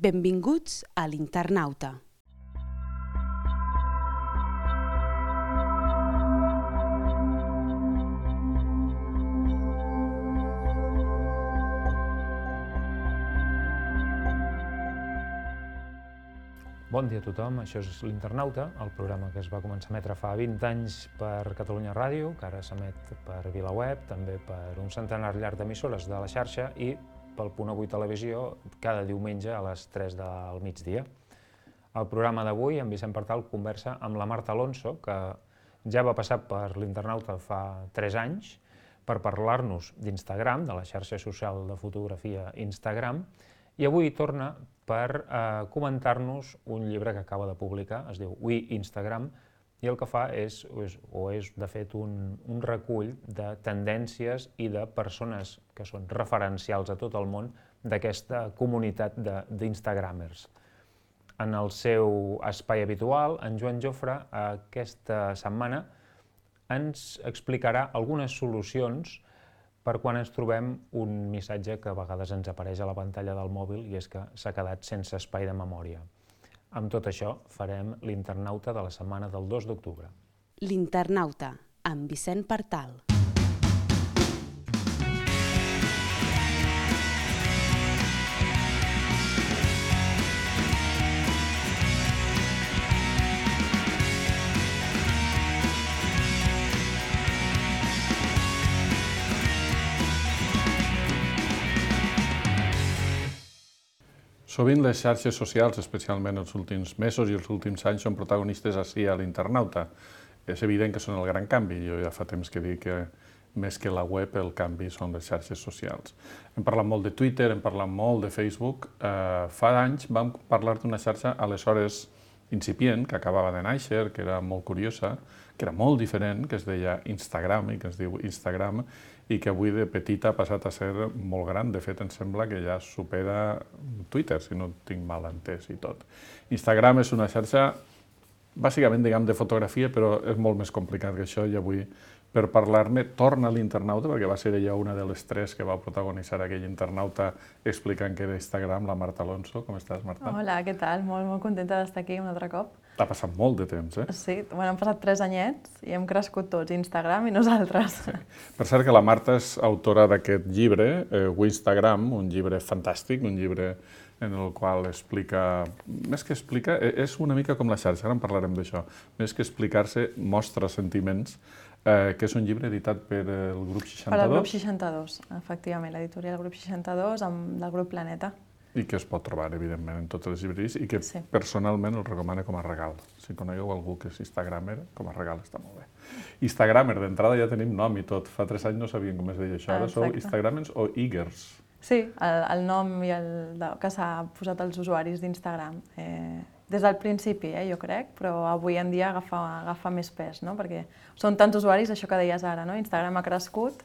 Benvinguts a l'Internauta. Bon dia a tothom, això és l'Internauta, el programa que es va començar a emetre fa 20 anys per Catalunya Ràdio, que ara s'emet per VilaWeb, també per un centenar llarg d'emissores de la xarxa i pel Punt Avui Televisió cada diumenge a les 3 del migdia. El programa d'avui, en Vicent Partal, conversa amb la Marta Alonso, que ja va passar per l'Internauta fa 3 anys, per parlar-nos d'Instagram, de la xarxa social de fotografia Instagram, i avui torna per comentar-nos un llibre que acaba de publicar, es diu We Instagram, i el que fa és de fet un recull de tendències i de persones que són referencials a tot el món d'aquesta comunitat d'instagramers. En el seu espai habitual, en Joan Jofre aquesta setmana ens explicarà algunes solucions per quan ens trobem un missatge que a vegades ens apareix a la pantalla del mòbil i és que s'ha quedat sense espai de memòria. Amb tot això farem l'Internauta de la setmana del 2 d'octubre. L'Internauta, amb Vicent Partal. Sovint les xarxes socials, especialment els últims mesos i els últims anys, són protagonistes ací a l'Internauta. És evident que són el gran canvi. Jo ja fa temps que dic que més que la web el canvi són les xarxes socials. Hem parlat molt de Twitter, hem parlat molt de Facebook. Fa anys vam parlar d'una xarxa aleshores incipient, que acabava de néixer, que era molt curiosa, que era molt diferent, que es deia Instagram i que es diu Instagram, i que avui de petita ha passat a ser molt gran. De fet, em sembla que ja supera Twitter, si no tinc mal entès i tot. Instagram és una xarxa, bàsicament, diguem, de fotografia, però és molt més complicat que això, i avui, per parlar-ne, torna a l'Internauta, perquè va ser ella una de les 3 que va protagonitzar aquell Internauta explicant que era Instagram, la Marta Alonso. Com estàs, Marta? Hola, què tal? Molt contenta d'estar aquí un altre cop. Ha passat molt de temps, eh? Sí, han passat 3 anyets i hem crescut tots, Instagram i nosaltres. Sí. Per cert que la Marta és autora d'aquest llibre, Instagram, un llibre fantàstic, un llibre en el qual explica, més que explica, és una mica com la xarxa, ara en parlarem d'això, més que explicar-se, mostra sentiments, que és un llibre editat per el Grup 62. Per al Grup 62, efectivament, l'editorial Grup 62 del Grup Planeta. I que es pot trobar, evidentment, en totes les llibreries i que personalment el recomano com a regal. Si conegueu algú que és instagramer, com a regal està molt bé. Instagramer, d'entrada ja tenim nom i tot. Fa 3 anys no sabien com es deia això. Ara sou instagramers o eagers? Sí, el nom que s'ha posat als usuaris d'Instagram. Des del principi, jo crec, però avui en dia agafa més pes, no? Perquè són tants usuaris, això que deies ara, no? Instagram ha crescut,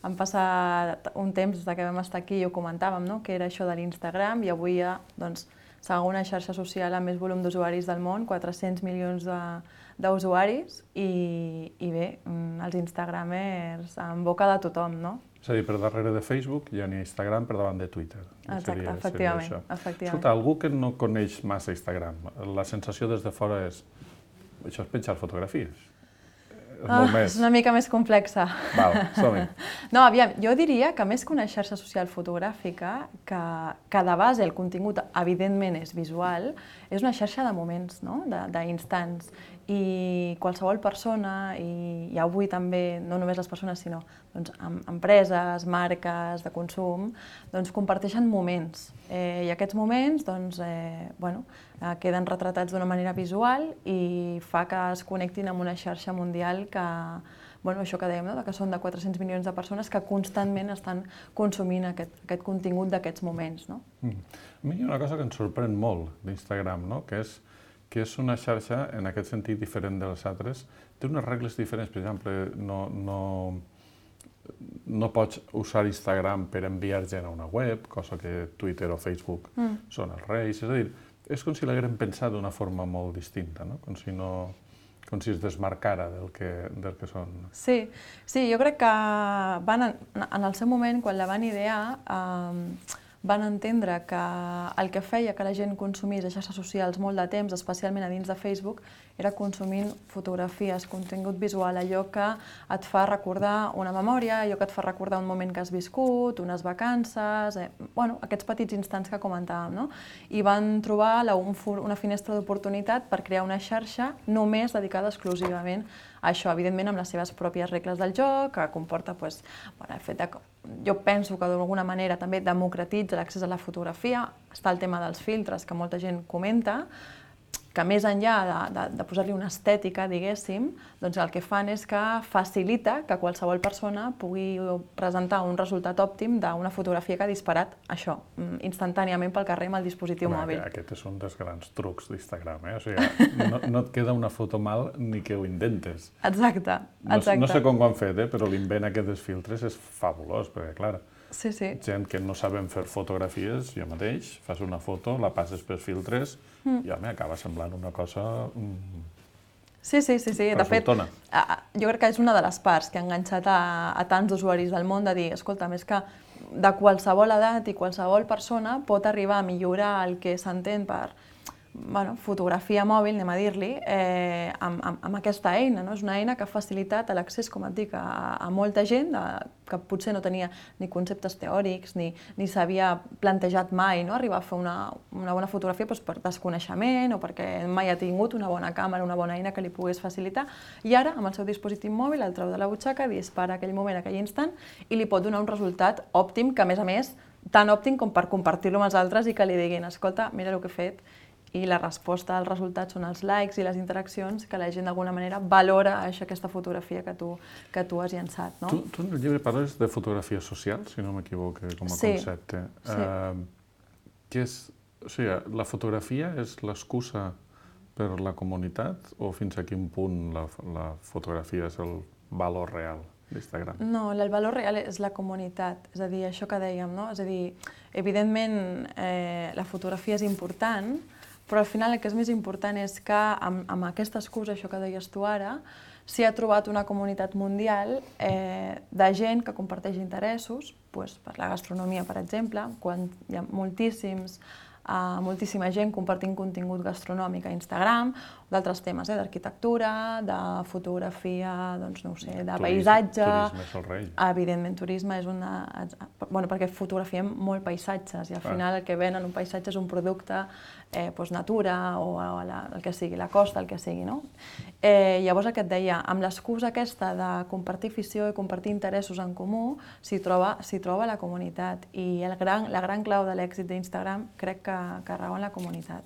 han passat un temps des que vam estar aquí i ho comentàvem, no? Que era això de l'Instagram, i avui hi ha segona xarxa social amb més volum d'usuaris del món, 400 milions d'usuaris, i bé, els instagramers en boca de tothom, no? És a dir, per darrere de Facebook hi ha Instagram per davant de Twitter. Exacte, efectivament. Escolta, algú que no coneix massa Instagram, la sensació des de fora és això és penjar fotografies. És una mica més complexa. Val, som-hi. No, aviam, jo diria que més que una xarxa social fotogràfica, que de base el contingut evidentment és visual, és una xarxa de moments, d'instants. I qualsevol persona, i avui també, no només les persones, sinó empreses, marques de consum, comparteixen moments. I aquests moments queden retratats d'una manera visual i fa que es connectin amb una xarxa mundial que, això que dèiem, que són de 400 milions de persones que constantment estan consumint aquest contingut d'aquests moments. A mi hi ha una cosa que ens sorprèn molt d'Instagram, que és una xarxa, en aquest sentit, diferent de les altres. Té unes regles diferents, per exemple, no pots usar Instagram per enviar gent a una web, cosa que Twitter o Facebook són els reis. És a dir, és com si l'hagueren pensat d'una forma molt distinta, com si es desmarcara del que són. Sí, jo crec que en el seu moment, quan la van idear, van entendre que el que feia que la gent consumís a xarxes socials molt de temps, especialment a dins de Facebook, era consumint fotografies, contingut visual, allò que et fa recordar una memòria, allò que et fa recordar un moment que has viscut, unes vacances, aquests petits instants que comentàvem, no? I van trobar una finestra d'oportunitat per crear una xarxa només dedicada exclusivament a això, evidentment amb les seves pròpies regles del joc, que comporta el fet que jo penso que d'alguna manera també democratitza l'accés a la fotografia, està el tema dels filtres que molta gent comenta, que més enllà de posar-li una estètica, diguéssim, doncs el que fan és que facilita que qualsevol persona pugui presentar un resultat òptim d'una fotografia que ha disparat això, instantàniament pel carrer amb el dispositiu mòbil. Aquest és un dels grans trucs d'Instagram, O sigui, no et queda una foto mal ni que ho intentes. Exacte. No sé com ho han fet, però l'invent aquest dels filtres és fabulós, perquè, clar, gent que no sabem fer fotografies, jo mateix, fas una foto, la passes per filtres i acaba semblant una cosa Sí. De fet, jo crec que és una de les parts que ha enganxat a tants usuaris del món de dir, escolta, més que de qualsevol edat i qualsevol persona pot arribar a millorar el que s'entén per fotografia mòbil, anem a dir-li, amb aquesta eina. És una eina que ha facilitat l'accés, com et dic, a molta gent que potser no tenia ni conceptes teòrics ni s'havia plantejat mai arribar a fer una bona fotografia per desconeixement o perquè mai ha tingut una bona càmera, una bona eina que li pogués facilitar. I ara, amb el seu dispositiu mòbil, el treu de la butxaca, dispara aquell moment, aquell instant, i li pot donar un resultat òptim, que a més, tan òptim com per compartir-lo amb els altres i que li diguin, escolta, mira el que he fet. I la resposta als resultats són els likes i les interaccions que la gent d'alguna manera valora aquesta fotografia que tu has llançat. Tu en el llibre parles de fotografia social, si no m'equivoco, com a concepte. O sigui, la fotografia és l'excusa per la comunitat o fins a quin punt la fotografia és el valor real d'Instagram? No, el valor real és la comunitat, és a dir, això que dèiem, no? És a dir, evidentment la fotografia és important, però al final el que és més important és que amb aquesta excusa, això que deies tu ara, s'hi ha trobat una comunitat mundial de gent que comparteix interessos, per la gastronomia, per exemple, quan hi ha moltíssima gent compartint contingut gastronòmic a Instagram, d'altres temes, d'arquitectura, de fotografia, doncs no ho sé, de paisatge... Turisme és el rei. Evidentment, turisme és una... perquè fotografiem molt paisatges i al final el que ven en un paisatge és un producte natura o el que sigui, la costa, el que sigui, no? Llavors el que et deia, amb l'excusa aquesta de compartir afició i compartir interessos en comú, s'hi troba la comunitat i la gran clau de l'èxit d'Instagram crec que rau en la comunitat.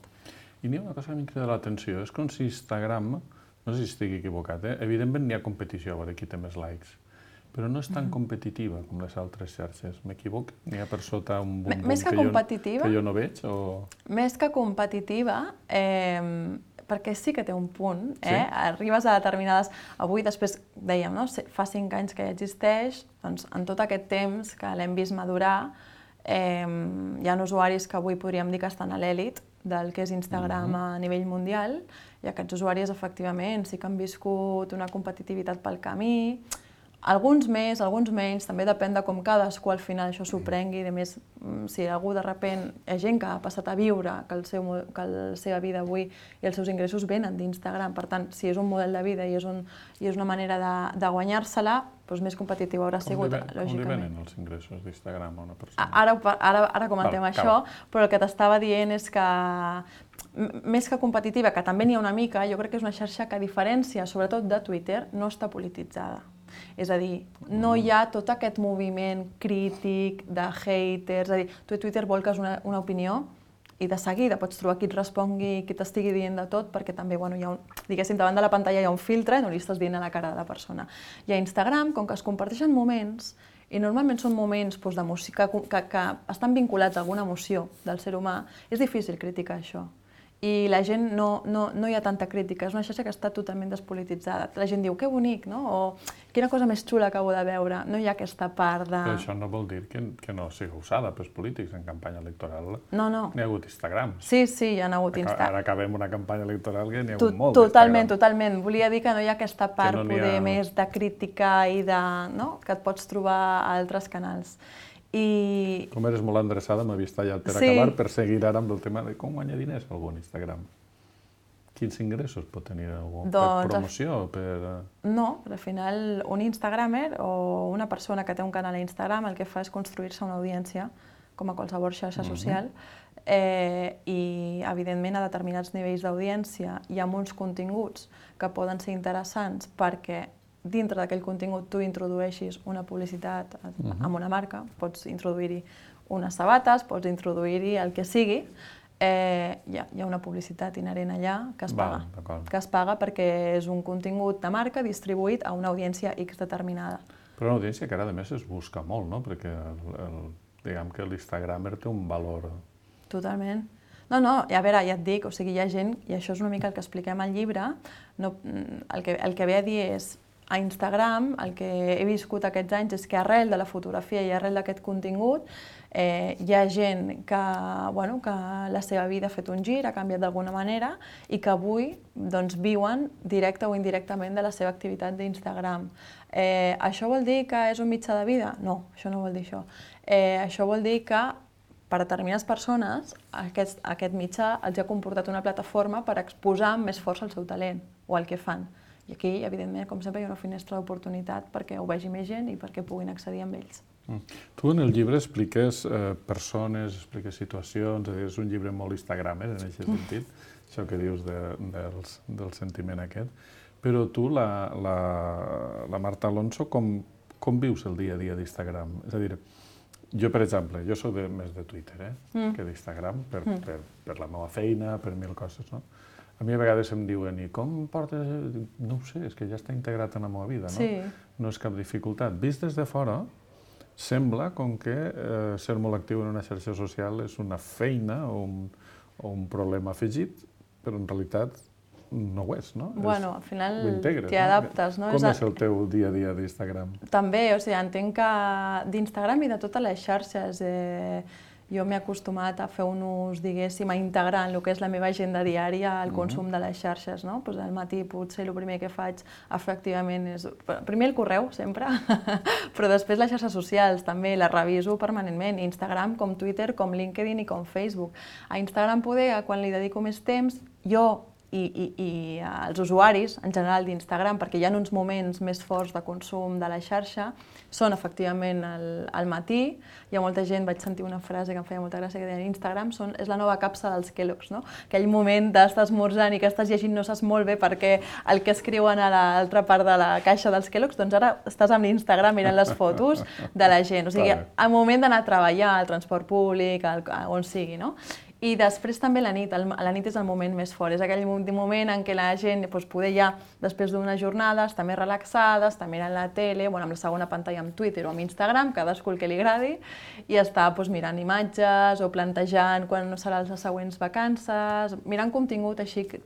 I n'hi ha una cosa que m'ha cridat l'atenció, és com si Instagram, no sé si estic equivocat, evidentment n'hi ha competició a veure qui té més likes, però no és tan competitiva com les altres xarxes. M'equivoco? N'hi ha per sota un bum-bum que jo no veig? Més que competitiva, perquè sí que té un punt, arribes a determinades... Avui, després, dèiem, fa 5 anys que ja existeix, doncs en tot aquest temps que l'hem vist madurar, hi ha usuaris que avui podríem dir que estan a l'èlit del que és Instagram a nivell mundial, i aquests usuaris, efectivament, sí que han viscut una competitivitat pel camí, alguns més, alguns menys, també depèn de com cadascú al final això s'ho prengui, a més, si algú de sobte, hi ha gent que ha passat a viure, que la seva vida avui i els seus ingressos venen d'Instagram, per tant, si és un model de vida i és una manera de guanyar-se-la, doncs més competitiu haurà sigut, lògicament. Com li venen els ingressos d'Instagram a una persona? Ara comentem això, però el que t'estava dient és que més que competitiva, que també n'hi ha una mica, jo crec que és una xarxa que, a diferència, sobretot de Twitter, no està polititzada. És a dir, no hi ha tot aquest moviment crític de haters, és a dir, tu a Twitter volques una opinió i de seguida pots trobar qui et respongui, qui t'estigui dient de tot, perquè també, diguéssim, davant de la pantalla hi ha un filtre i no li estàs dient a la cara de la persona. I a Instagram, com que es comparteixen moments, i normalment són moments de música que estan vinculats a alguna emoció del ser humà, és difícil criticar això. I la gent no hi ha tanta crítica, és una xarxa que està totalment despolititzada. La gent diu, que bonic, no? O quina cosa més xula acabo de veure. No hi ha aquesta part de... Però això no vol dir que no sigui usada pels polítics en campanya electoral. No. N'hi ha hagut Instagram. Sí, hi ha hagut Instagram. Ara acabem una campanya electoral que n'hi ha hagut molt d'Instagram. Totalment. Volia dir que no hi ha aquesta part poder més de crítica i de... que et pots trobar a altres canals. I... Com eres molt endreçada, m'havies tallat per acabar, per seguir ara amb el tema de com guanyar diners algú en Instagram. Quins ingressos pot tenir algú? Per promoció? No, però al final un Instagramer o una persona que té un canal a Instagram el que fa és construir-se una audiència, com a qualsevol xarxa social, i evidentment a determinats nivells d'audiència hi ha uns continguts que poden ser interessants perquè dintre d'aquell contingut tu introdueixis una publicitat amb una marca, pots introduir-hi unes sabates, pots introduir-hi el que sigui, hi ha una publicitat inherent allà que es paga perquè és un contingut de marca distribuït a una audiència X determinada. Però una audiència que ara a més es busca molt, no? Perquè diguem que l'Instagramer té un valor... Totalment. No, a veure, ja et dic, o sigui, hi ha gent, i això és una mica el que expliquem al llibre, el que ve a dir és a Instagram el que he viscut aquests anys és que arrel de la fotografia i arrel d'aquest contingut hi ha gent que la seva vida ha fet un gir, ha canviat d'alguna manera i que avui viuen directe o indirectament de la seva activitat d'Instagram. Això vol dir que és un mitjà de vida? No, això no vol dir això. Això vol dir que per a determinades persones aquest mitjà els ha comportat una plataforma per exposar amb més força el seu talent o el que fan. I aquí, evidentment, com sempre, hi ha una finestra d'oportunitat perquè ho vegi més gent i perquè puguin accedir amb ells. Tu en el llibre expliques persones, expliques situacions, és un llibre molt instagramer en aquest sentit, això que dius del sentiment aquest, però tu, la Marta Alonso, com vius el dia a dia d'Instagram? És a dir, jo, per exemple, jo soc més de Twitter que d'Instagram, per la meva feina, per mil coses, no? A mi a vegades em diuen, i com portes... No ho sé, és que ja està integrat en la meva vida, no? Sí. No és cap dificultat. Vist des de fora, sembla com que ser molt actiu en una xarxa social és una feina o un problema afegit, però en realitat no ho és, no? Bueno, al final t'hi adaptes, no? Com és el teu dia a dia d'Instagram? També, o sigui, entenc que d'Instagram i de totes les xarxes jo m'he acostumat a fer un ús, diguéssim, a integrar en el que és la meva agenda diària el consum de les xarxes, no? Al matí potser el primer que faig efectivament és... Primer el correu, sempre, però després les xarxes socials també les reviso permanentment, Instagram com Twitter, com LinkedIn i com Facebook. A Instagram poder, quan li dedico més temps, jo i els usuaris en general d'Instagram, perquè hi ha uns moments més forts de consum de la xarxa, són efectivament al matí. Hi ha molta gent, vaig sentir una frase que em feia molta gràcia, que deia Instagram és la nova capsa dels Kellogg's, no? Aquell moment d'estar esmorzant i que estàs llegint no saps molt bé perquè el que escriuen a l'altra part de la caixa dels Kellogg's, doncs ara estàs amb l'Instagram mirant les fotos de la gent. O sigui, al moment d'anar a treballar, al transport públic, on sigui, no? I després també la nit és el moment més fort, és aquell moment en què la gent poder ja, després d'una jornada, està més relaxada, està mirant la tele, amb la segona pantalla amb Twitter o amb Instagram, cadascú el que li agradi, i està mirant imatges o plantejant quan seran les següents vacances, mirant contingut així que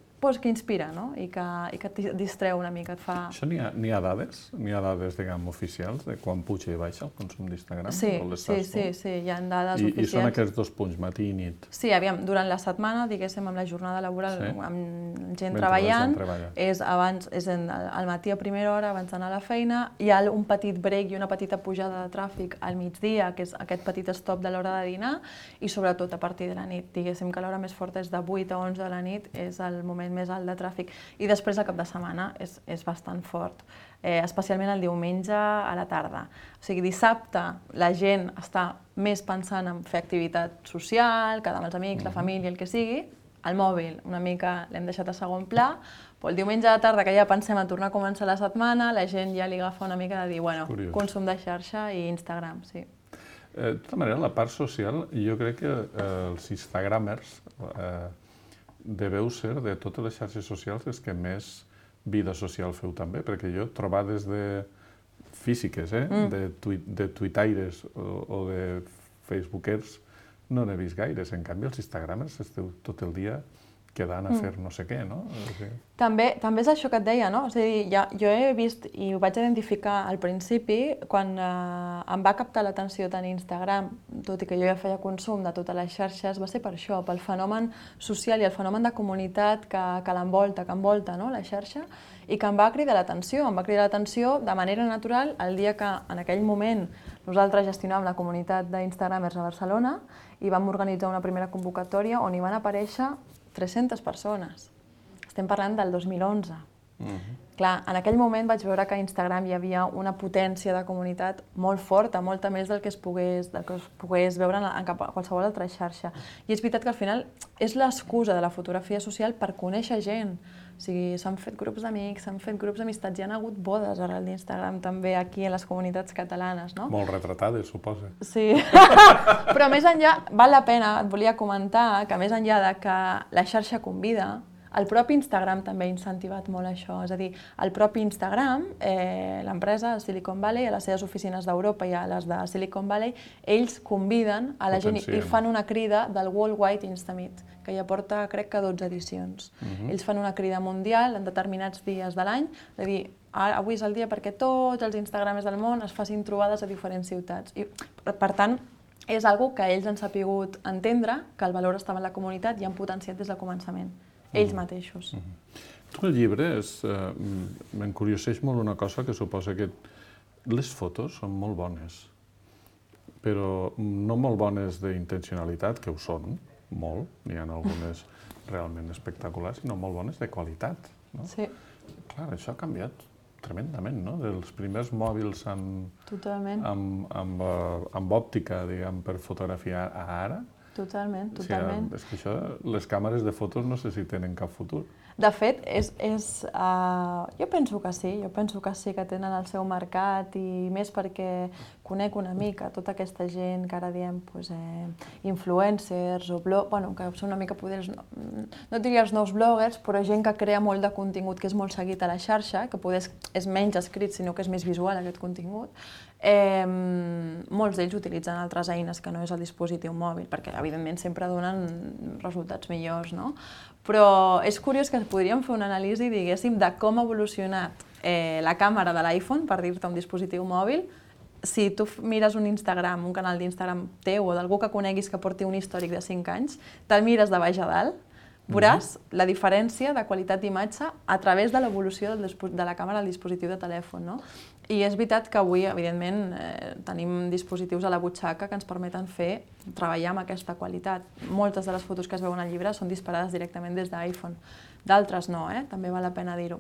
inspira, no? I que et distreu una mica, et fa... Això n'hi ha dades? N'hi ha dades, diguem, oficials de quan puja i baixa el consum d'Instagram? Sí, hi ha dades oficials. I són aquests 2 punts, matí i nit? Sí, aviam, durant la setmana, diguéssim, amb la jornada laboral, amb gent treballant, és al matí a primera hora, abans d'anar a la feina, hi ha un petit break i una petita pujada de tràfic al migdia, que és aquest petit stop de l'hora de dinar, i sobretot a partir de la nit. Diguéssim que l'hora més forta és de 8 a 11 de la nit, és el moment més alt de tràfic. I després, el cap de setmana, és bastant fort, especialment el diumenge a la tarda. O sigui, dissabte la gent està més pensant en fer activitat social, quedar amb els amics, la família, el que sigui. El mòbil, una mica l'hem deixat a segon pla, però el diumenge a la tarda, que ja pensem a tornar a començar la setmana, la gent ja li agafa una mica de dir, bueno, consum de xarxa i Instagram, sí. De tota manera, la part social, jo crec que els instagramers deveu ser de totes les xarxes socials els que més vida social feu també, perquè jo trobades físiques, de tuitaires o de facebookers, no n'he vist gaires. En canvi, els instagramers esteu tot el dia quedant a fer no sé què, no? També és això que et deia, no? És a dir, jo he vist i ho vaig identificar al principi quan em va captar l'atenció tant Instagram, tot i que jo ja feia consum de totes les xarxes, va ser per això, pel fenomen social i el fenomen de comunitat que l'envolta, que envolta la xarxa, i que em va cridar l'atenció. Em va cridar l'atenció de manera natural el dia que en aquell moment nosaltres gestionàvem la comunitat d'Instagramers a Barcelona i vam organitzar una primera convocatòria on hi van aparèixer 300 persones. Estem parlant del 2011. Clar, en aquell moment vaig veure que a Instagram hi havia una potència de comunitat molt forta, molta més del que es pogués veure en qualsevol altra xarxa. I és veritat que al final és l'excusa de la fotografia social per conèixer gent. O sigui, s'han fet grups d'amics, s'han fet grups d'amistats, hi ha hagut bodes arrel d'Instagram també aquí a les comunitats catalanes, no? Molt retratades, suposa. Sí, però més enllà, val la pena, et volia comentar que més enllà de que la xarxa convida, el propi Instagram també ha incentivat molt això, és a dir, el propi Instagram, l'empresa Silicon Valley, a les seves oficines d'Europa i a les de Silicon Valley, ells conviden a la gent i fan una crida del Worldwide Instameet, que ja porta, crec que 12 edicions. Ells fan una crida mundial en determinats dies de l'any, és a dir, avui és el dia perquè tots els Instagramers del món es facin trobades a diferents ciutats. I, per tant, és una que ells han sapigut entendre, que el valor estava en la comunitat i han potenciat des del començament. Ells mateixos. Tu el llibre m'encurioseix molt una cosa que suposa que les fotos són molt bones, però no molt bones d'intencionalitat, que ho són, molt, n'hi ha algunes realment espectaculars, sinó molt bones de qualitat. Sí. Clar, això ha canviat tremendament, no? Dels primers mòbils amb òptica, diguem, per fotografiar a ara. Totalment. És que això, les càmeres de fotos no sé si tenen cap futur. De fet, jo penso que sí, que tenen el seu mercat i més perquè conec una mica tota aquesta gent que ara diem influencers o que són una mica, no diria els nous bloggers, però gent que crea molt de contingut que és molt seguit a la xarxa, que és menys escrit sinó que és més visual aquest contingut. Molts d'ells utilitzen altres eines que no és el dispositiu mòbil, perquè evidentment sempre donen resultats millors, no? Però és curiós que podríem fer una anàlisi, diguéssim, de com ha evolucionat la càmera de l'iPhone, per dir-te un dispositiu mòbil. Si tu mires un Instagram, un canal d'Instagram teu o d'algú que coneguis que porti un històric de 5 anys, te'l mires de baix a dalt, veuràs la diferència de qualitat d'imatge a través de l'evolució de la càmera del dispositiu de telèfon, no? I és veritat que avui, evidentment, tenim dispositius a la butxaca que ens permeten treballar amb aquesta qualitat. Moltes de les fotos que es veuen al llibre són disparades directament des d'iPhone. D'altres no, també val la pena dir-ho.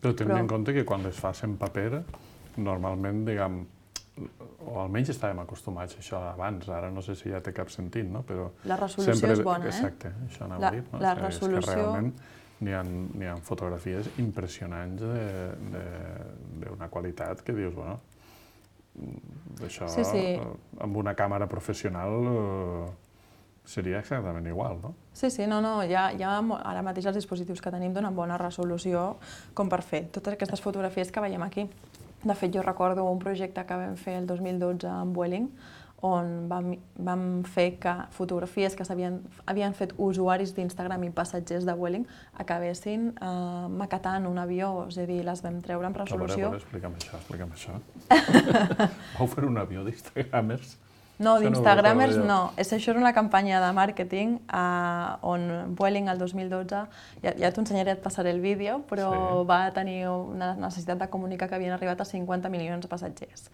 Però tenint en compte que quan les fas en paper, normalment, diguem, o almenys estàvem acostumats a això abans, ara no sé si ja té cap sentit, no? Però la resolució és bona, Exacte, això anava a dir. La resolució... És que realment n'hi ha fotografies impressionants d'una qualitat que dius, bueno, això amb una càmera professional seria exactament igual, no? Sí, no, ara mateix els dispositius que tenim donen bona resolució com per fer totes aquestes fotografies que veiem aquí. De fet, jo recordo un projecte que vam fer el 2012 amb Vueling, on vam fer que fotografies que havien fet usuaris d'Instagram i passatgers de Vueling acabessin maquetant un avió, és a dir, les vam treure en resolució. A veure, explica'm això. Vau fer un avió d'Instagramers? No, d'Instagramers no. Això és una campanya de màrqueting on Vueling el 2012, ja t'ho ensenyaré, et passaré el vídeo, però va tenir una necessitat de comunicar que havien arribat a 50 milions de passatgers.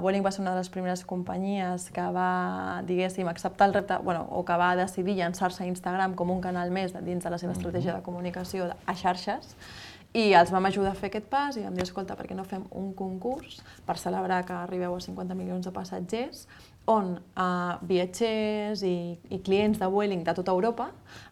Vueling va ser una de les primeres companyies que va, diguéssim, acceptar el repte, o que va decidir llançar-se a Instagram com un canal més dins de la seva estratègia de comunicació a xarxes, i els vam ajudar a fer aquest pas i vam dir, escolta, per què no fem un concurs per celebrar que arribeu a 50 milions de passatgers, on viatgers i clients de Vueling de tota Europa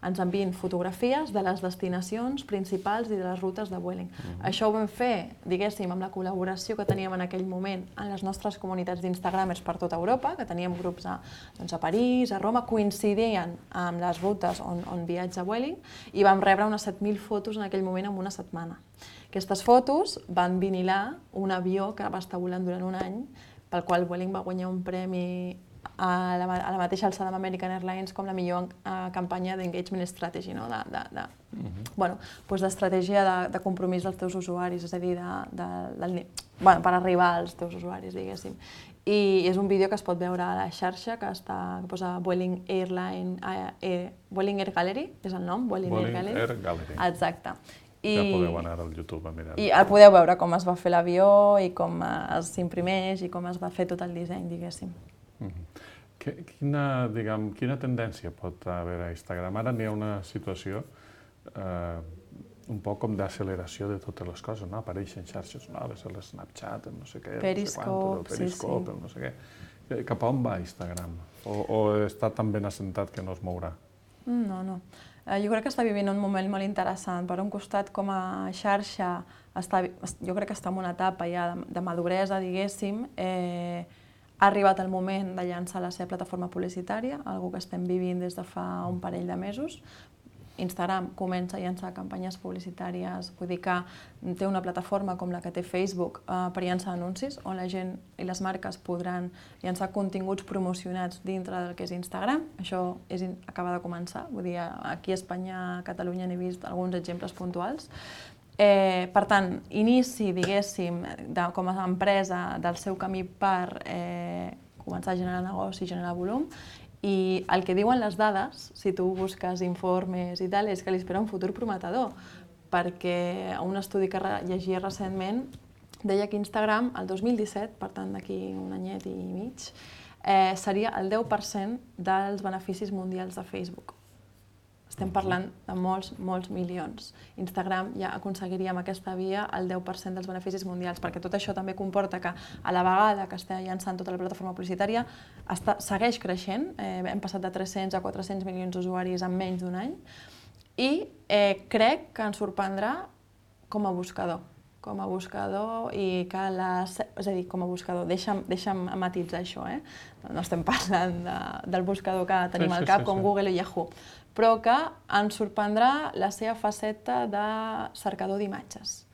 ens envien fotografies de les destinacions principals i de les rutes de Vueling. Això ho vam fer, diguéssim, amb la col·laboració que teníem en aquell moment en les nostres comunitats d'Instagramers per tota Europa, que teníem grups a París, a Roma, coincidien amb les rutes on viatja Vueling, i vam rebre unes 7.000 fotos en aquell moment en una setmana. Aquestes fotos van vinilar un avió que va estar volant durant un any, pel qual Vueling va guanyar un premi a la mateixa alçada amb American Airlines com la millor campanya d'engagement strategy, no? D'estratègia de compromís dels teus usuaris, és a dir, per arribar als teus usuaris, diguéssim. I és un vídeo que es pot veure a la xarxa, que posa Vueling Air Gallery, és el nom? Vueling Air Gallery. Exacte. Ja podeu anar al YouTube a mirar. I podeu veure com es va fer l'avió i com s'imprimeix i com es va fer tot el disseny, diguéssim. Quina tendència pot haver a Instagram? Ara n'hi ha una situació un poc com d'acceleració de totes les coses, no? Apareixen xarxes noves, l'Snapchat, el no sé què, Periscope, el no sé què. Cap a on va Instagram? O està tan ben assentat que no es mourà? No. Jo crec que està vivint un moment molt interessant. Per un costat, com a xarxa, jo crec que està en una etapa ja de maduresa, diguéssim. Ha arribat el moment de llançar la seva plataforma publicitària, algo que estem vivint des de fa un parell de mesos. Instagram comença a llançar campanyes publicitàries, vull dir que té una plataforma com la que té Facebook per llançar anuncis, on la gent i les marques podran llançar continguts promocionats dintre del que és Instagram. Això acaba de començar, vull dir, aquí a Espanya, a Catalunya n'he vist alguns exemples puntuals. Per tant, inici, diguéssim, com a empresa del seu camí per començar a generar negoci, generar volum, i el que diuen les dades, si tu busques informes i tal, és que li espera un futur prometedor, perquè un estudi que llegia recentment deia que Instagram, el 2017, per tant d'aquí un anyet i mig, seria el 10% dels beneficis mundials de Facebook. Estem parlant de molts milions. Instagram ja aconseguiria amb aquesta via el 10% dels beneficis mundials, perquè tot això també comporta que a la vegada que està llançant tota la plataforma publicitària segueix creixent, hem passat de 300 a 400 milions d'usuaris en menys d'un any, i crec que ens sorprendrà com a buscador. I que és a dir, com a buscador, deixa'm matitzar això, no estem parlant del buscador que tenim al cap, com Google o Yahoo, però que ens sorprendrà la seva faceta de cercador d'imatges.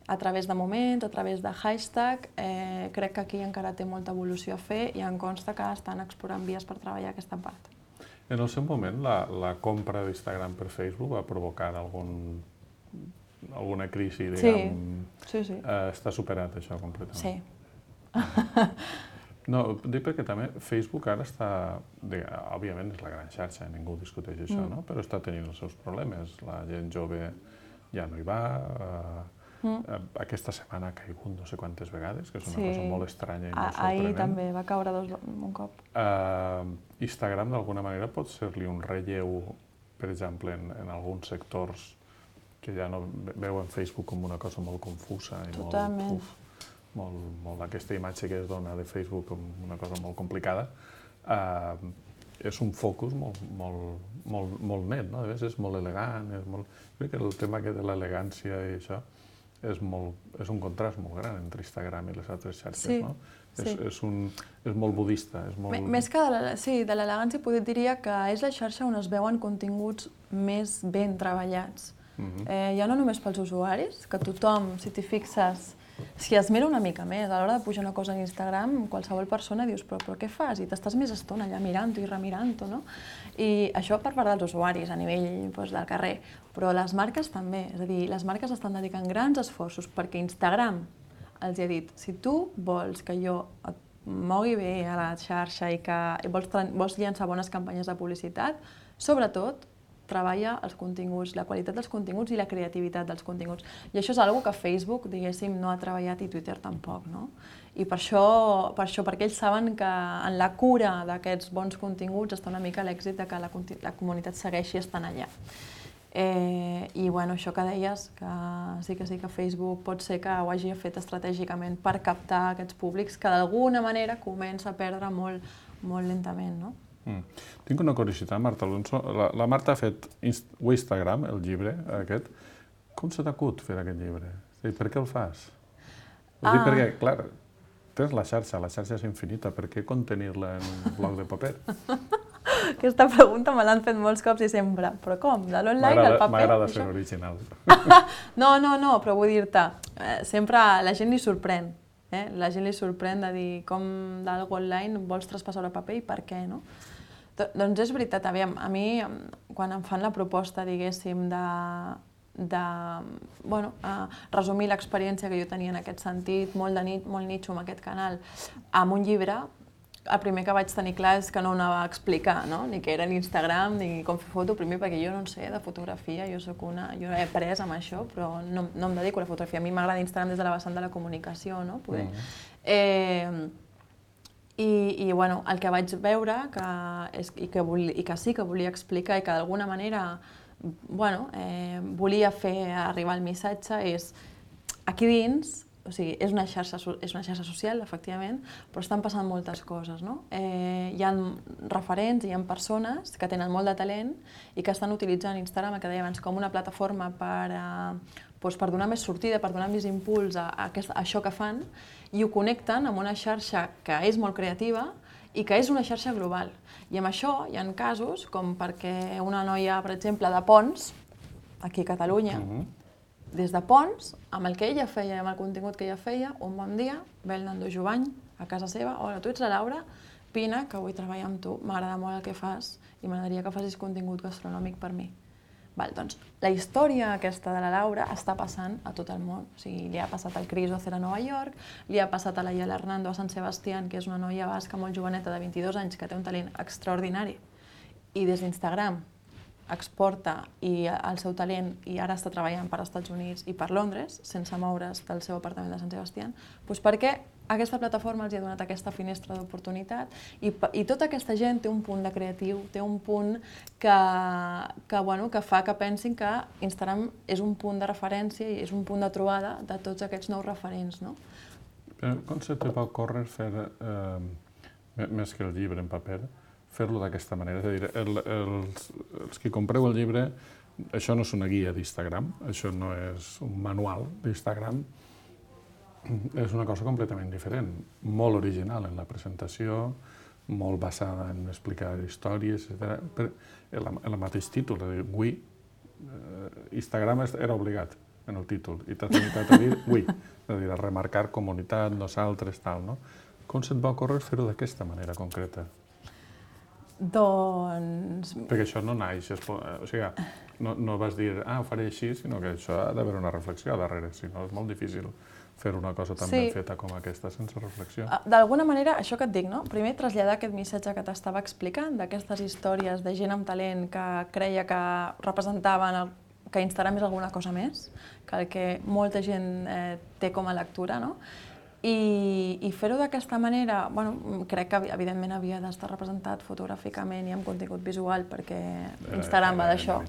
A través de moments, a través de hashtag, crec que aquí encara té molta evolució a fer i em consta que estan explorant vies per treballar aquesta part. En el seu moment, la compra d'Instagram per Facebook va provocar alguna crisi, diguem... Sí. Està superat això completament? Sí. No, dic perquè també Facebook ara està... Òbviament és la gran xarxa, ningú discuteix això, no? Però està tenint els seus problemes. La gent jove ja no hi va. Aquesta setmana ha caigut no sé quantes vegades, que és una cosa molt estranya i molt sorprenent. Ahir també va caure un cop. Instagram d'alguna manera pot ser-li un relleu, per exemple, en alguns sectors que ja no veuen Facebook com una cosa molt confusa i molt aquesta imatge que es dona de Facebook com una cosa molt complicada. És un focus molt net, no? A vegades és molt elegant. Crec que el tema de l'elegància i això és un contrast molt gran entre Instagram i les altres xarxes, no? És molt budista. Més que de l'elegància, diria que és la xarxa on es veuen continguts més ben treballats. Ja no només pels usuaris, que tothom, si t'hi fixes, si es mira una mica més, a l'hora de pujar una cosa a Instagram, qualsevol persona dius, però què fas? I t'estàs més estona allà mirant-ho i remirant-ho, no? I això per part dels usuaris, a nivell del carrer, però les marques també. És a dir, les marques estan dedicant grans esforços perquè Instagram els ha dit, si tu vols que jo et mogui bé a la xarxa i que vols llançar bones campanyes de publicitat, sobretot treballa els continguts, la qualitat dels continguts i la creativitat dels continguts. I això és una cosa que Facebook, diguéssim, no ha treballat i Twitter tampoc, no? I per això, perquè ells saben que en la cura d'aquests bons continguts està una mica l'èxit de que la comunitat segueixi estant allà. I això que deies, que sí que Facebook pot ser que ho hagi fet estratègicament per captar aquests públics que d'alguna manera comença a perdre molt lentament, no? Tinc una curiositat, Marta Alonso. La Marta ha fet Instagram, el llibre aquest. Com se t'acut fer aquest llibre? Per què el fas? Ho dic perquè, clar, tens la xarxa és infinita, per què contenir-la en un bloc de paper? Aquesta pregunta me l'han fet molts cops i sempre. Però com? De l'online al paper? M'agrada ser original. No, però vull dir-te, sempre la gent li sorprèn. La gent li sorprèn de dir com d'algo online vols traspassar a paper i per què, no? Doncs és veritat, aviam, a mi, quan em fan la proposta, diguéssim, resumir l'experiència que jo tenia en aquest sentit, molt nitxo amb aquest canal, amb un llibre, el primer que vaig tenir clar és que no ho anava a explicar, no? Ni què era l'Instagram, ni com fer foto, primer perquè jo no en sé de fotografia, jo he après amb això, però no em dedico a la fotografia. A mi m'agrada Instagram des de la vessant de la comunicació, no? Poder. I el que vaig veure i que sí que volia explicar i que d'alguna manera volia fer arribar el missatge és aquí dins, o sigui, és una xarxa social, efectivament, però estan passant moltes coses, no? Hi ha referents, hi ha persones que tenen molt de talent i que estan utilitzant Instagram, que deia abans, com una plataforma per donar més sortida, per donar més impuls a això que fan, i ho connecten amb una xarxa que és molt creativa i que és una xarxa global. I amb això hi ha casos com perquè una noia, per exemple, de Pons, aquí a Catalunya, des de Pons, amb el que ella feia, amb el contingut que ella feia, un bon dia ve el Nando Jovany a casa seva, hola, tu ets la Laura, vine, que vull treballar amb tu, m'agrada molt el que fas i m'agradaria que facis contingut gastronòmic per mi. Doncs la història aquesta de la Laura està passant a tot el món. O sigui, li ha passat al Chris Ocer a Nova York, li ha passat a la Yala Hernando a Sant Sebastián, que és una noia basca molt joveneta de 22 anys que té un talent extraordinari i des d'Instagram exporta el seu talent i ara està treballant per als Estats Units i per Londres, sense moure's del seu apartament de Sant Sebastián, perquè aquesta plataforma els ha donat aquesta finestra d'oportunitat i tota aquesta gent té un punt de creatiu, té un punt que fa que pensin que Instagram és un punt de referència i és un punt de trobada de tots aquests nous referents, no? Com se te va ocórrer fer, més que el llibre en paper, fer-lo d'aquesta manera? És a dir, els que compreu el llibre, això no és una guia d'Instagram, això no és un manual d'Instagram, és una cosa completament diferent, molt original en la presentació, molt basada en explicar històries, etc. El mateix títol, és a dir, we, Instagram era obligat en el títol, i t'has limitat a dir we, és a dir, a remarcar comunitat, nosaltres, tal, no? Com se't va ocórrer fer-ho d'aquesta manera concreta? Doncs... Perquè això no naix, o sigui, no vas dir, ho faré així, sinó que això ha d'haver una reflexió darrere, si no és molt difícil fer una cosa tan ben feta com aquesta sense reflexió. D'alguna manera, això que et dic, no? Primer traslladar aquest missatge que t'estava explicant, d'aquestes històries de gent amb talent que creia que representaven que Instagram és alguna cosa més, que el que molta gent té com a lectura, no? I fer-ho d'aquesta manera, crec que evidentment havia d'estar representat fotogràficament i amb contingut visual perquè Instagram va d'això.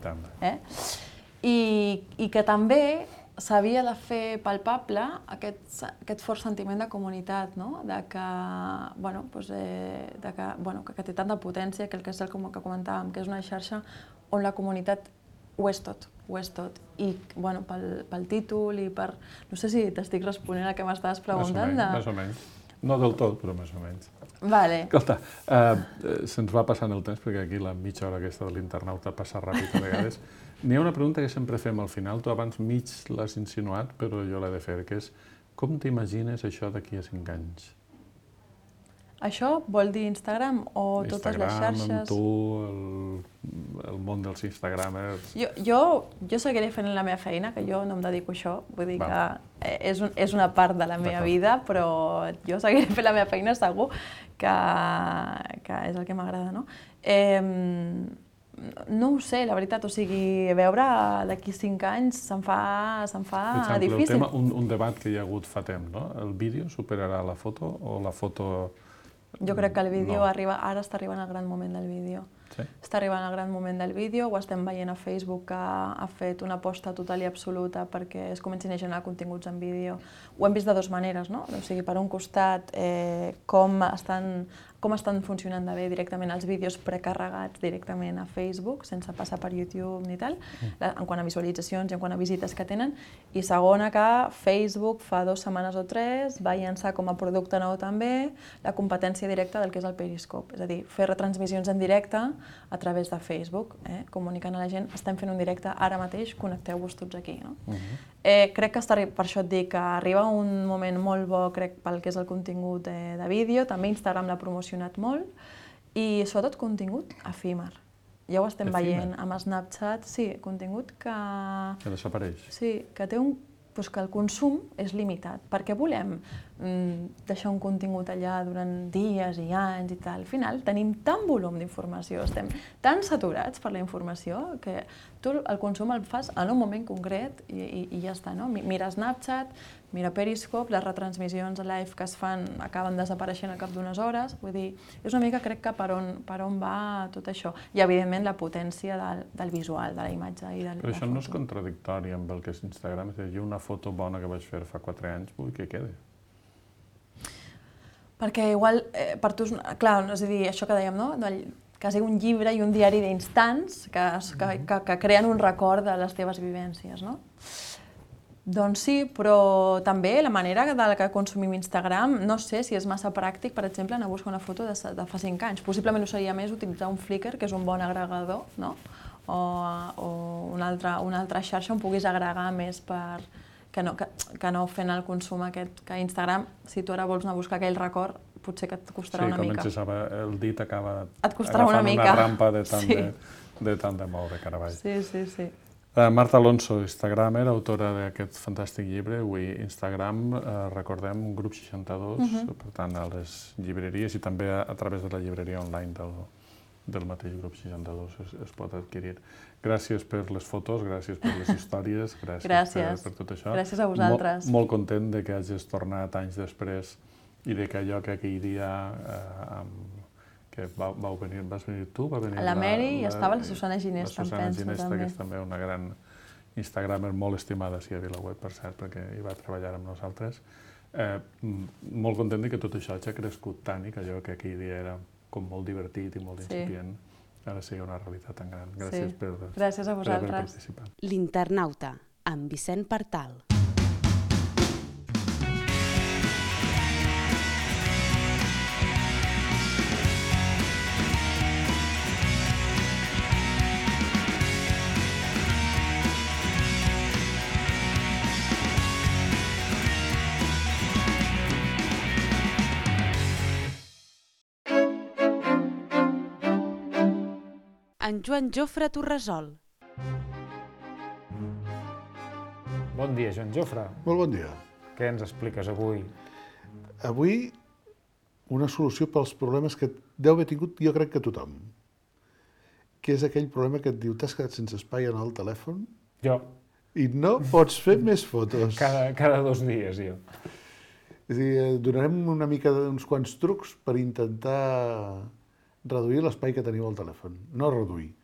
I que també s'havia de fer palpable aquest fort sentiment de comunitat, que té tanta potència, que és el que comentàvem, que és una xarxa on la comunitat ho és tot. I pel títol i per... No sé si t'estic responent al que m'estaves preguntant. Més o menys. No del tot, però més o menys. Vale. Escolta, se'ns va passant el temps, perquè aquí la mitja hora aquesta de l'internauta passa ràpid a vegades. N'hi ha una pregunta que sempre fem al final, tu abans mig l'has insinuat, però jo l'he de fer, que és com t'imagines això d'aquí a 5 anys? Això vol dir Instagram o totes les xarxes? Instagram, amb tu, el món dels instagramers... Jo seguiré fent la meva feina, que jo no em dedico a això, vull dir que és una part de la meva vida, però jo seguiré fent la meva feina segur, que és el que m'agrada, no? No ho sé, la veritat, o sigui, veure d'aquí 5 anys se'm fa difícil. Un debat que hi ha hagut fa temps, no? El vídeo superarà la foto o la foto... Jo crec que el vídeo ara està arribant al gran moment del vídeo. Està arribant al gran moment del vídeo, ho estem veient a Facebook que ha fet una aposta total i absoluta perquè es comencin a generar continguts en vídeo. Ho hem vist de dues maneres, no? O sigui, per un costat, com estan funcionant de bé directament els vídeos precarregats directament a Facebook, sense passar per YouTube ni tal, en quant a visualitzacions i en quant a visites que tenen. I segona, que Facebook fa 2 setmanes o 3 va llançar com a producte nou també la competència directa del que és el Periscope, és a dir, fer retransmissions en directe a través de Facebook, comunicant a la gent, estem fent un directe ara mateix, connecteu-vos tots aquí. Crec que per això et dic que arriba un moment molt bo, crec, pel que és el contingut de vídeo. També Instagram l'ha promocionat molt i sobretot contingut efímer. Ja ho estem veient amb Snapchat, sí, contingut que... Que desapareix. Sí, que té que el consum és limitat. Per què volem deixar un contingut allà durant dies i anys i tal? Al final tenim tant volum d'informació, estem tan saturats per la informació que tu el consum el fas en un moment concret i ja està, no? Mira Snapchat, mira Periscope, les retransmissions live que es fan acaben desapareixent al cap d'unes hores. Vull dir, és una mica, crec que per on va tot això. I, evidentment, la potència del visual, de la imatge i de la foto. Però això no és contradictori amb el que és Instagram? És a dir, una foto bona que vaig fer fa 4 anys, vull que quede. Perquè igual, per tu, clar, és a dir, això que dèiem, no? Quasi un llibre i un diari d'instants que creen un record de les teves vivències, no? Doncs sí, però també la manera de la que consumim Instagram, no sé si és massa pràctic, per exemple, anar a buscar una foto de fa 5 anys. Possiblement ho seria més utilitzar un Flickr, que és un bon agregador, no? O una altra xarxa on puguis agregar més que no fent el consum aquest, que Instagram, si tu ara vols anar a buscar aquell record, potser que et costarà una mica. Sí, el dit acaba agafant una rampa de tant de moure, caravall. Sí. Marta Alonso, instagramer, autora d'aquest fantàstic llibre. Avui Instagram, recordem, Grup 62, per tant, a les llibreries i també a través de la llibreria online del mateix Grup 62 es pot adquirir. Gràcies per les fotos, gràcies per les històries, gràcies per tot això. Gràcies a vosaltres. Molt content de que hagis tornat anys després i de que allò que aquell dia que vas venir tu, va venir la Mary i estava la Susana Ginesta, em penso, també. La Susana Ginesta, que és també una gran instagramer, molt estimada a VilaWeb, per cert, perquè hi va treballar amb nosaltres. Molt content que tot això hagi crescut tant i que allò que aquell dia era com molt divertit i molt incipient, ara sigui una realitat tan gran. Gràcies per haver participat. L'Internauta, amb Vicent Partal. En Joan Jofre Torresol. Bon dia, Joan Jofre. Molt bon dia. Què ens expliques avui? Avui una solució pels problemes que deu haver tingut, jo crec que tothom. Que és aquell problema que et diu t'has quedat sense espai en el telèfon Jo. i no pots fer més fotos. Cada 2 dies, jo. És a dir, donarem una mica d'uns quants trucs per intentar reduir l'espai que teniu al telèfon. No reduir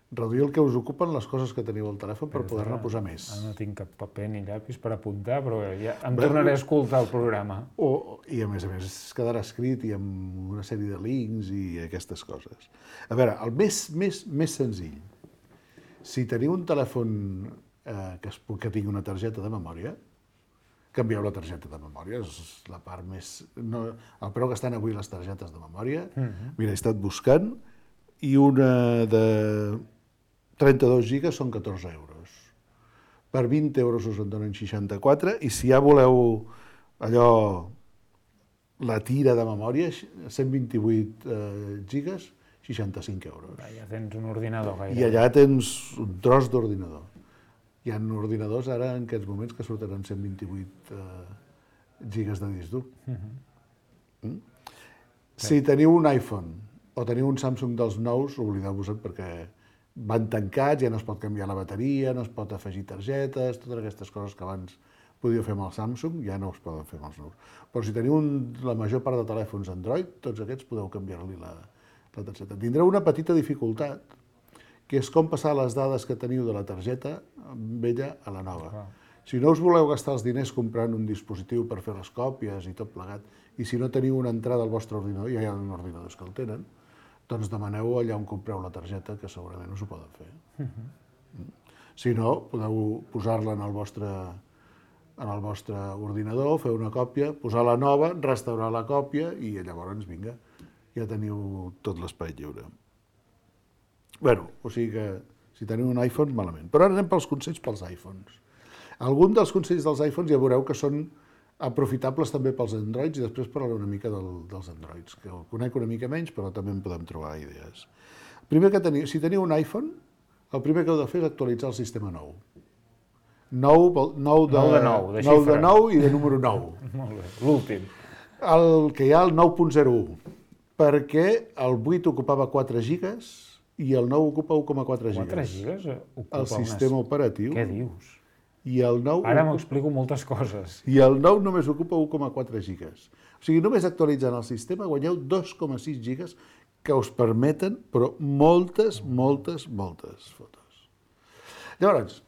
el que us ocupen les coses que teniu al telèfon per poder-ne posar més. No tinc cap paper ni llapis per apuntar, però ja em tornaré a escoltar el programa. I a més es quedarà escrit i amb una sèrie de links i aquestes coses. A veure, el més senzill, si teniu un telèfon que tingui una targeta de memòria, canvieu la targeta de memòria, és la part més... El preu que estan avui les targetes de memòria, mira, he estat buscant, i una de 32 gigas són 14 euros. Per 20 euros us en donen 64, i si ja voleu allò, la tira de memòria, 128 gigas, 65 euros. Ja tens un ordinador gairebé. I allà tens un tros d'ordinador. Hi ha ordinadors ara en aquests moments que surten amb 128 gigas de disc dur. Si teniu un iPhone o teniu un Samsung dels nous, oblideu-vos-en perquè van tancats, ja no es pot canviar la bateria, no es pot afegir targetes, totes aquestes coses que abans podíeu fer amb el Samsung, ja no es poden fer amb els nous. Però si teniu la major part de telèfons Android, tots aquests podeu canviar-li la targeta. Tindreu una petita dificultat, que és com passar les dades que teniu de la targeta vella a la nova. Si no us voleu gastar els diners comprant un dispositiu per fer les còpies i tot plegat, i si no teniu una entrada al vostre ordinador, ja hi ha ordinadors que el tenen, doncs demaneu allà on compreu la targeta, que segurament us ho poden fer. Si no, podeu posar-la en el vostre ordinador, fer una còpia, posar la nova, restaurar la còpia i llavors, vinga, ja teniu tot l'espai lliure. Bé, o sigui que si teniu un iPhone, malament. Però ara anem pels consells pels iPhones. Alguns dels consells dels iPhones ja veureu que són aprofitables també pels Androids i després parlaré una mica dels Androids, que el conec una mica menys, però també en podem trobar idees. Primer que teniu, si teniu un iPhone, el primer que heu de fer és actualitzar el sistema nou. Nou de nou i de número 9. Molt bé, l'últim. El que hi ha el 9.01, perquè el 8 ocupava 4 gigas i el 9 ocupa 1,4 gigas. 4 gigas ocupa el sistema operatiu. Què dius? I el 9 Ara m'explico moltes coses. I el 9 només ocupa 1,4 gigas. O sigui, només actualitzant el sistema guanyeu 2,6 gigas que us permeten, però moltes fotos. Llavors,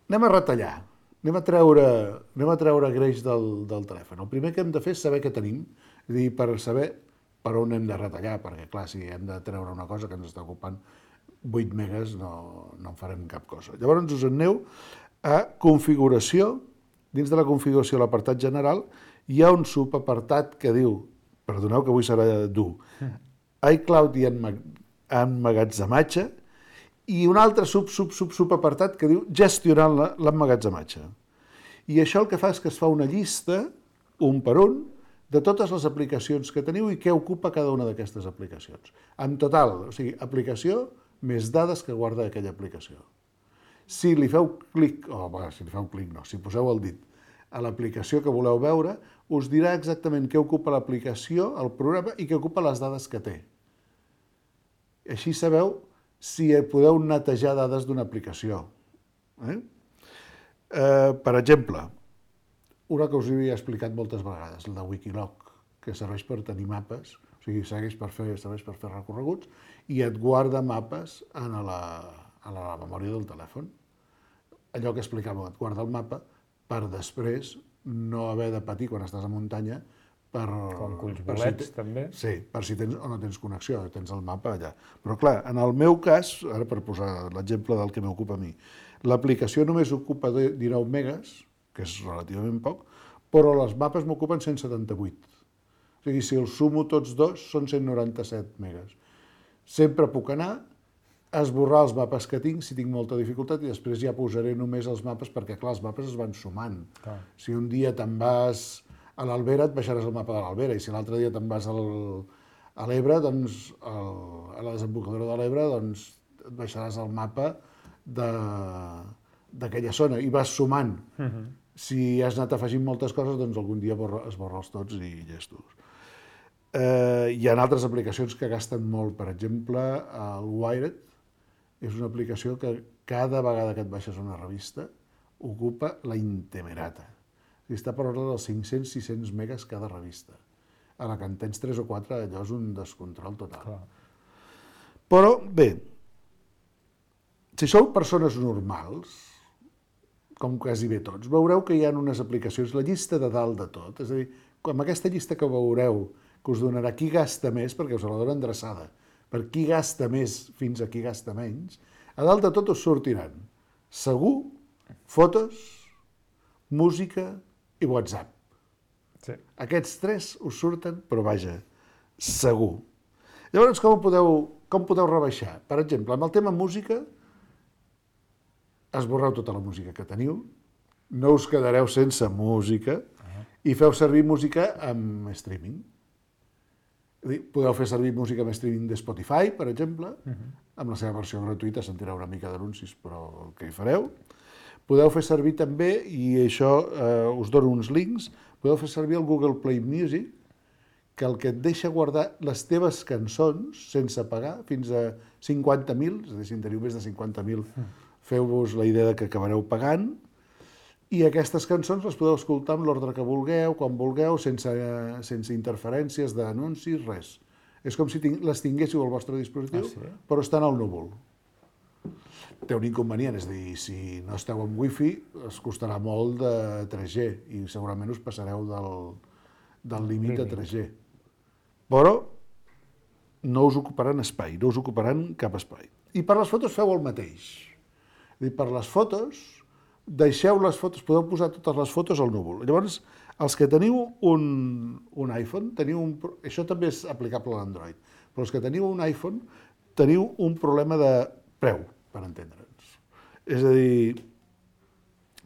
anem a retallar, anem a treure greix del telèfon. El primer que hem de fer és saber què tenim, és a dir, per saber per on hem de retallar, perquè clar, si hem de treure una cosa que ens està ocupant 8 megas no en farem cap cosa. Llavors us aneu a configuració. Dins de la configuració, a l'apartat general, hi ha un subapartat que diu, perdoneu que avui serà dur, iCloud i emmagatzematge, i un altre subapartat que diu gestionant l'emmagatzematge. I això el que fa és que es fa una llista, un per un, de totes les aplicacions que teniu i què ocupa cada una d'aquestes aplicacions. En total, o sigui, aplicació més dades que guarda aquella aplicació. Si li feu clic, si poseu el dit a l'aplicació que voleu veure, us dirà exactament què ocupa l'aplicació, el programa, i què ocupa les dades que té. Així sabeu si podeu netejar dades d'una aplicació. Per exemple, una que us havia explicat moltes vegades, la de Wikiloc, que serveix per tenir mapes, o sigui, serveix per fer recorreguts, i et guarda mapes a la memòria del telèfon. Allò que explicàvem, et guarda el mapa per després no haver de patir quan estàs a muntanya com culls bolets, també. Sí, per si tens o no tens connexió, tens el mapa allà. Però clar, en el meu cas, ara per posar l'exemple del que m'ocupa a mi, l'aplicació només ocupa 19 megas, que és relativament poc, però les mapes m'ocupen 178. O sigui, si els sumo tots dos, són 197 megas. Sempre puc anar, esborrar els mapes que tinc, si tinc molta dificultat, i després ja posaré només els mapes, perquè clar, els mapes es van sumant. Clar. Si un dia te'n vas a l'Albera, et baixaràs el mapa de l'Albera, i si l'altre dia te'n vas a l'Ebre, doncs, a la desembocadura de l'Ebre, doncs et baixaràs el mapa d'aquella zona, i vas sumant. Si has anat afegint moltes coses, doncs algun dia esborra-los tots i llestos. Hi ha altres aplicacions que gasten molt, per exemple, el Wired és una aplicació que cada vegada que et baixes una revista ocupa la intemerata. Està per ordre dels 500-600 megas cada revista. A la que en tens 3 o 4, allò és un descontrol total. Clar. Però, bé, si sou persones normals, com quasi bé tots, veureu que hi ha unes aplicacions, la llista de dalt de tot, és a dir, amb aquesta llista que veureu, que us donarà qui gasta més, perquè us la dona endreçada, per qui gasta més fins a qui gasta menys, a dalt de tot us sortiran segur, fotos, música i WhatsApp. Sí. Aquests 3 us surten, però vaja, segur. Llavors, com podeu rebaixar? Per exemple, amb el tema música, esborreu tota la música que teniu, no us quedareu sense música i feu servir música amb streaming. Podeu fer servir música amb streaming de Spotify, per exemple, amb la seva versió gratuïta sentireu una mica d'anuncis, però el que hi fareu. Podeu fer servir també, i això us dono uns links, podeu fer servir el Google Play Music, que el que et deixa guardar les teves cançons sense pagar fins a 50.000, és a dir, si en teniu més de 50.000, feu-vos la idea que acabareu pagant, i aquestes cançons les podeu escoltar amb l'ordre que vulgueu, quan vulgueu, sense interferències d'anuncis, res. És com si les tinguéssiu al vostre dispositiu, però estan al núvol. Té un inconvenient, és a dir, si no esteu amb wifi, es costarà molt de 3G i segurament us passareu del límit de 3G. Però no us ocuparan espai, no us ocuparan cap espai. I per les fotos feu el mateix. És a dir, per les fotos, deixeu les fotos, podeu posar totes les fotos al núvol. Llavors, els que teniu un iPhone, això també és aplicable a l'Android, però els que teniu un iPhone teniu un problema de preu, per entendre'ns. És a dir,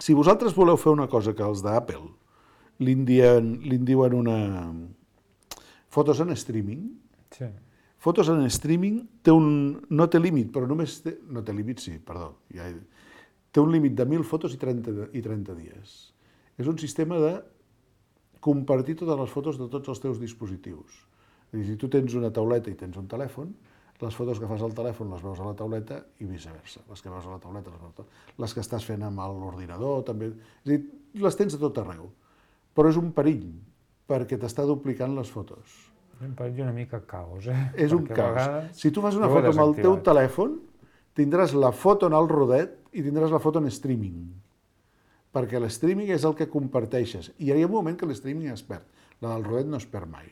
Si vosaltres voleu fer una cosa que els d'Apple li diuen una... fotos en streaming, Sí. fotos en streaming no té límit, però només té... No té límit, sí, perdó. Té un límit de 1.000 fotos i 30 dies. És un sistema de compartir totes les fotos de tots els teus dispositius. És a dir, si tu tens una tauleta i tens un telèfon, les fotos que fas al telèfon les veus a la tauleta i viceversa. Les que veus a la tauleta les veus a la tauleta. Les que estàs fent amb l'ordinador també... És a dir, les tens a tot arreu. Però és un perill, perquè t'està duplicant les fotos. És un perill una mica caos, És un Perquè a caos. vegades Si tu fas una ho he foto amb el teu desactivat. telèfon, tindràs la foto en el rodet i tindràs la foto en streaming. Perquè l'streaming és el que comparteixes. I hi ha un moment que l'streaming es perd. La del rodet no es perd mai.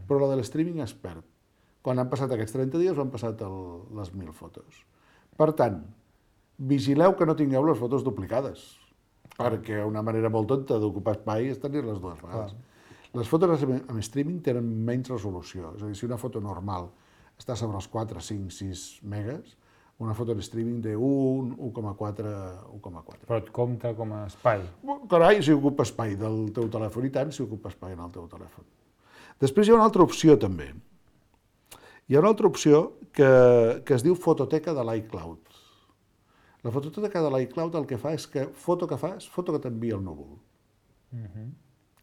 Però la de l'streaming es perd. Quan han passat aquests 30 dies han passat les 1.000 fotos. Per tant, vigileu que no tingueu les fotos duplicades. Perquè una manera molt tonta d'ocupar espai és tenir-les dues vegades. Les fotos en streaming tenen menys resolució. És a dir, si una foto normal està sobre els 4, 5, 6 megas, una foto en streaming té 1, 1,4, 1,4. Però et compta com a espai. Carai, si ocupa espai del teu telèfon, i tant si ocupa espai en el teu telèfon. Després hi ha una altra opció també. Hi ha una altra opció que es diu fototeca de l'iCloud. La fototeca de l'iCloud el que fa és que foto que fas, foto que t'envia el núvol.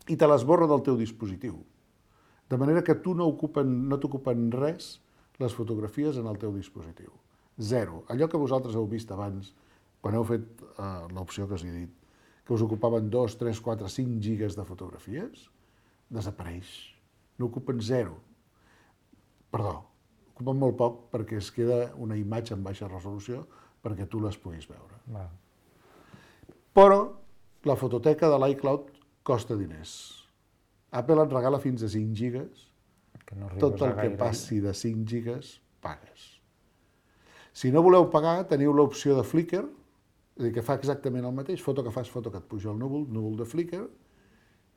I te l'esborra del teu dispositiu. De manera que tu no t'ocupen res les fotografies en el teu dispositiu. Zero. Allò que vosaltres heu vist abans, quan heu fet l'opció que us he dit, que us ocupaven 2, 3, 4, 5 gigas de fotografies, desapareix. No ocupen zero. Perdó, ocupen molt poc perquè es queda una imatge en baixa resolució perquè tu les puguis veure. Va. Però la fototeca de l'iCloud costa diners. Apple et regala fins a 5 gigas. Que no arribes Tot el a que gaire. passi de 5 gigas, pagues. Si no voleu pagar, teniu l'opció de Flickr, és a dir, que fa exactament el mateix, foto que fas, foto que et puja el núvol de Flickr,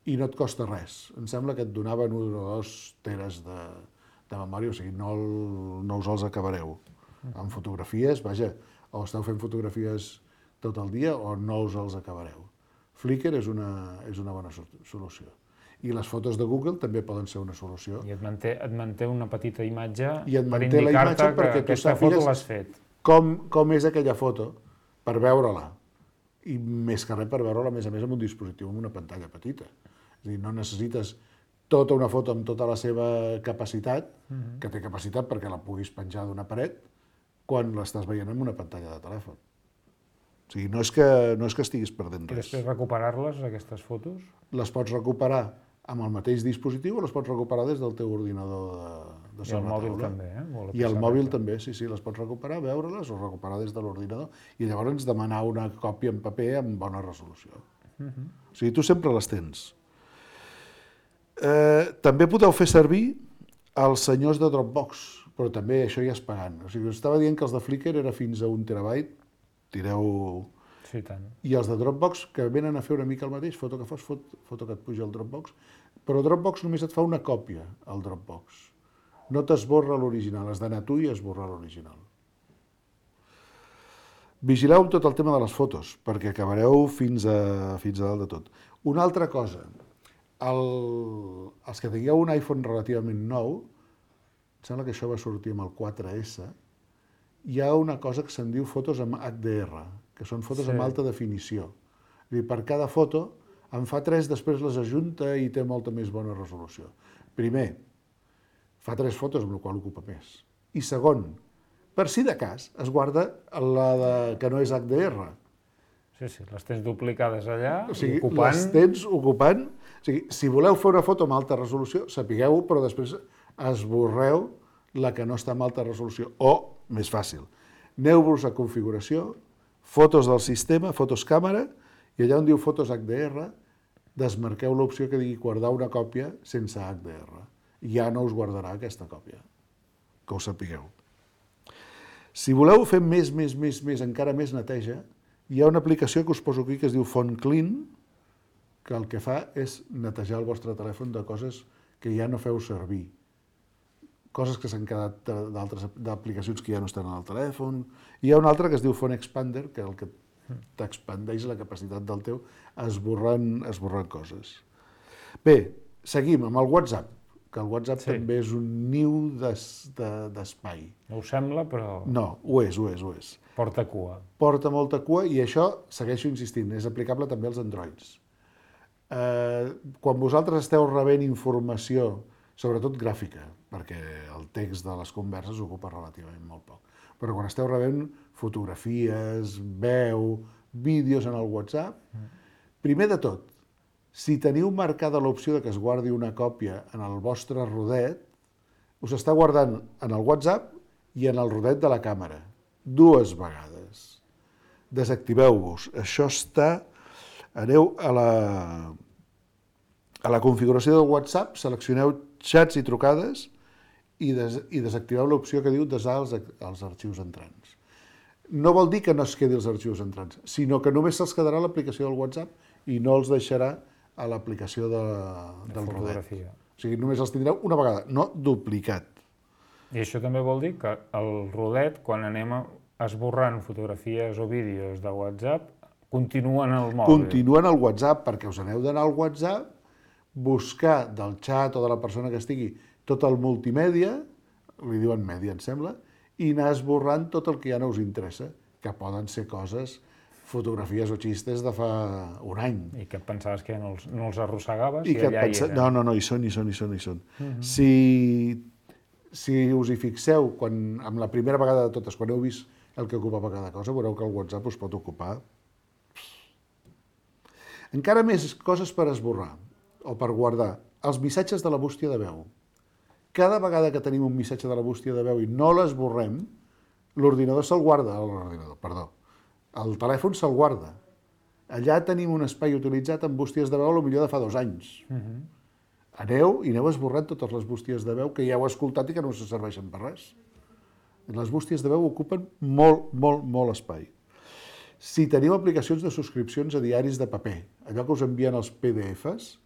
i no et costa res. Em sembla que et donaven 1 o 2 teres de memòria, o sigui, no us els acabareu. Amb fotografies, vaja, o esteu fent fotografies tot el dia o no us els acabareu. Flickr és una bona solució. I les fotos de Google també poden ser una solució. I et manté una petita imatge I et per manté la imatge indicar-te que perquè tu aquesta foto sàpigues l'has fet. com és aquella foto per veure-la. I més que res per veure-la, a més, amb un dispositiu amb una pantalla petita. És a dir, no necessites tota una foto amb tota la seva capacitat, que té capacitat perquè la puguis penjar d'una paret, quan l'estàs veient amb una pantalla de telèfon. O sigui, no és que estiguis perdent I res. després recuperar-les, aquestes fotos? Les pots recuperar amb el mateix dispositiu o les pots recuperar des del teu ordinador de I el mòbil sobretaula. també, I el mòbil també, sí, les pots recuperar, veure-les o recuperar des de l'ordinador i llavors demanar una còpia en paper amb bona resolució. O sigui, tu sempre les tens. També podeu fer servir els senyors de Dropbox, però també això ja és pagant. O sigui, us estava dient que els de Flickr era fins a 1 terabyte, tireu... Sí, tant. I els de Dropbox, que venen a fer una mica el mateix, foto que fas, foto que et puja al Dropbox, però Dropbox només et fa una còpia, al Dropbox. No t'esborra l'original, has d'anar tu i esborrar l'original. Vigileu amb tot el tema de les fotos, perquè acabareu fins a dalt de tot. Una altra cosa, els que tingueu un iPhone relativament nou, em sembla que això va sortir amb el 4S, hi ha una cosa que se'n diu fotos amb HDR, que són fotos amb alta definició. És a dir, per cada foto en fa 3, després les ajunta i té molta més bona resolució. Primer, fa 3 fotos, amb la qual ocupa més. I segon, per si de cas, es guarda la que no és HDR. Sí, les tens duplicades allà, O sigui, ocupant... les tens ocupant... O sigui, si voleu fer una foto amb alta resolució, sapigueu-ho, però després esborreu la que no està amb alta resolució. O, més fàcil, aneu-vos a configuració, fotos del sistema, fotos càmera, i allà on diu fotos HDR, desmarqueu l'opció que digui guardar una còpia sense HDR. I ja no us guardarà aquesta còpia, que ho sapigueu. Si voleu fer més, encara més neteja, hi ha una aplicació que us poso aquí que es diu Phone Clean, que el que fa és netejar el vostre telèfon de coses que ja no feu servir. Coses que s'han quedat d'altres aplicacions que ja no estan en el telèfon. Hi ha una altra que es diu Phone Expander, que el que t'expandeix la capacitat del teu esborrant coses. Bé, seguim amb el WhatsApp, que el WhatsApp també és un niu d'espai. No us sembla, però... No, ho és. Porta cua. Porta molta cua i això, segueixo insistint, és aplicable també als Androids. Quan vosaltres esteu rebent informació, sobretot gràfica, perquè el text de les converses ocupa relativament molt poc, però quan esteu rebent fotografies, veu, vídeos en el WhatsApp, primer de tot, si teniu marcada l'opció de que es guardi una còpia en el vostre rodet, us està guardant en el WhatsApp i en el rodet de la càmera, 2 vegades. Desactiveu-vos. Això està... Aneu a la configuració del WhatsApp, seleccioneu xats i trucades i desactiveu l'opció que diu desar els arxius entrants. No vol dir que no es quedi els arxius entrants, sinó que només se'ls quedarà a l'aplicació del WhatsApp i no els deixarà a l'aplicació del rodet. O sigui, només els tindreu una vegada, no duplicat. I això també vol dir que el rodet, quan anem esborrant fotografies o vídeos de WhatsApp, continua en el mòbil. Continua en el WhatsApp, perquè us aneu d'anar al WhatsApp, buscar del xat o de la persona que estigui tot el multimèdia, li diuen mèdia, em sembla, i anar esborrant tot el que ja no us interessa, que poden ser coses, fotografies o xistes de fa un any. I que pensaves que no els arrossegaves I i allà hi eren. No, hi són. Si us hi fixeu, amb la primera vegada de totes, quan heu vist el que ocupava cada cosa, veureu que el WhatsApp us pot ocupar encara més coses per esborrar o per guardar. Els missatges de la bústia de veu. Cada vegada que tenim un missatge de la bústia de veu i no l'esborrem, l'ordinador se'l guarda, el telèfon se'l guarda. Allà tenim un espai utilitzat amb bústies de veu potser de fa 2 anys. Aneu esborrant totes les bústies de veu que ja heu escoltat i que no us serveixen per res. Les bústies de veu ocupen molt espai. Si teniu aplicacions de subscripcions a diaris de paper, allò que us envien els PDFs,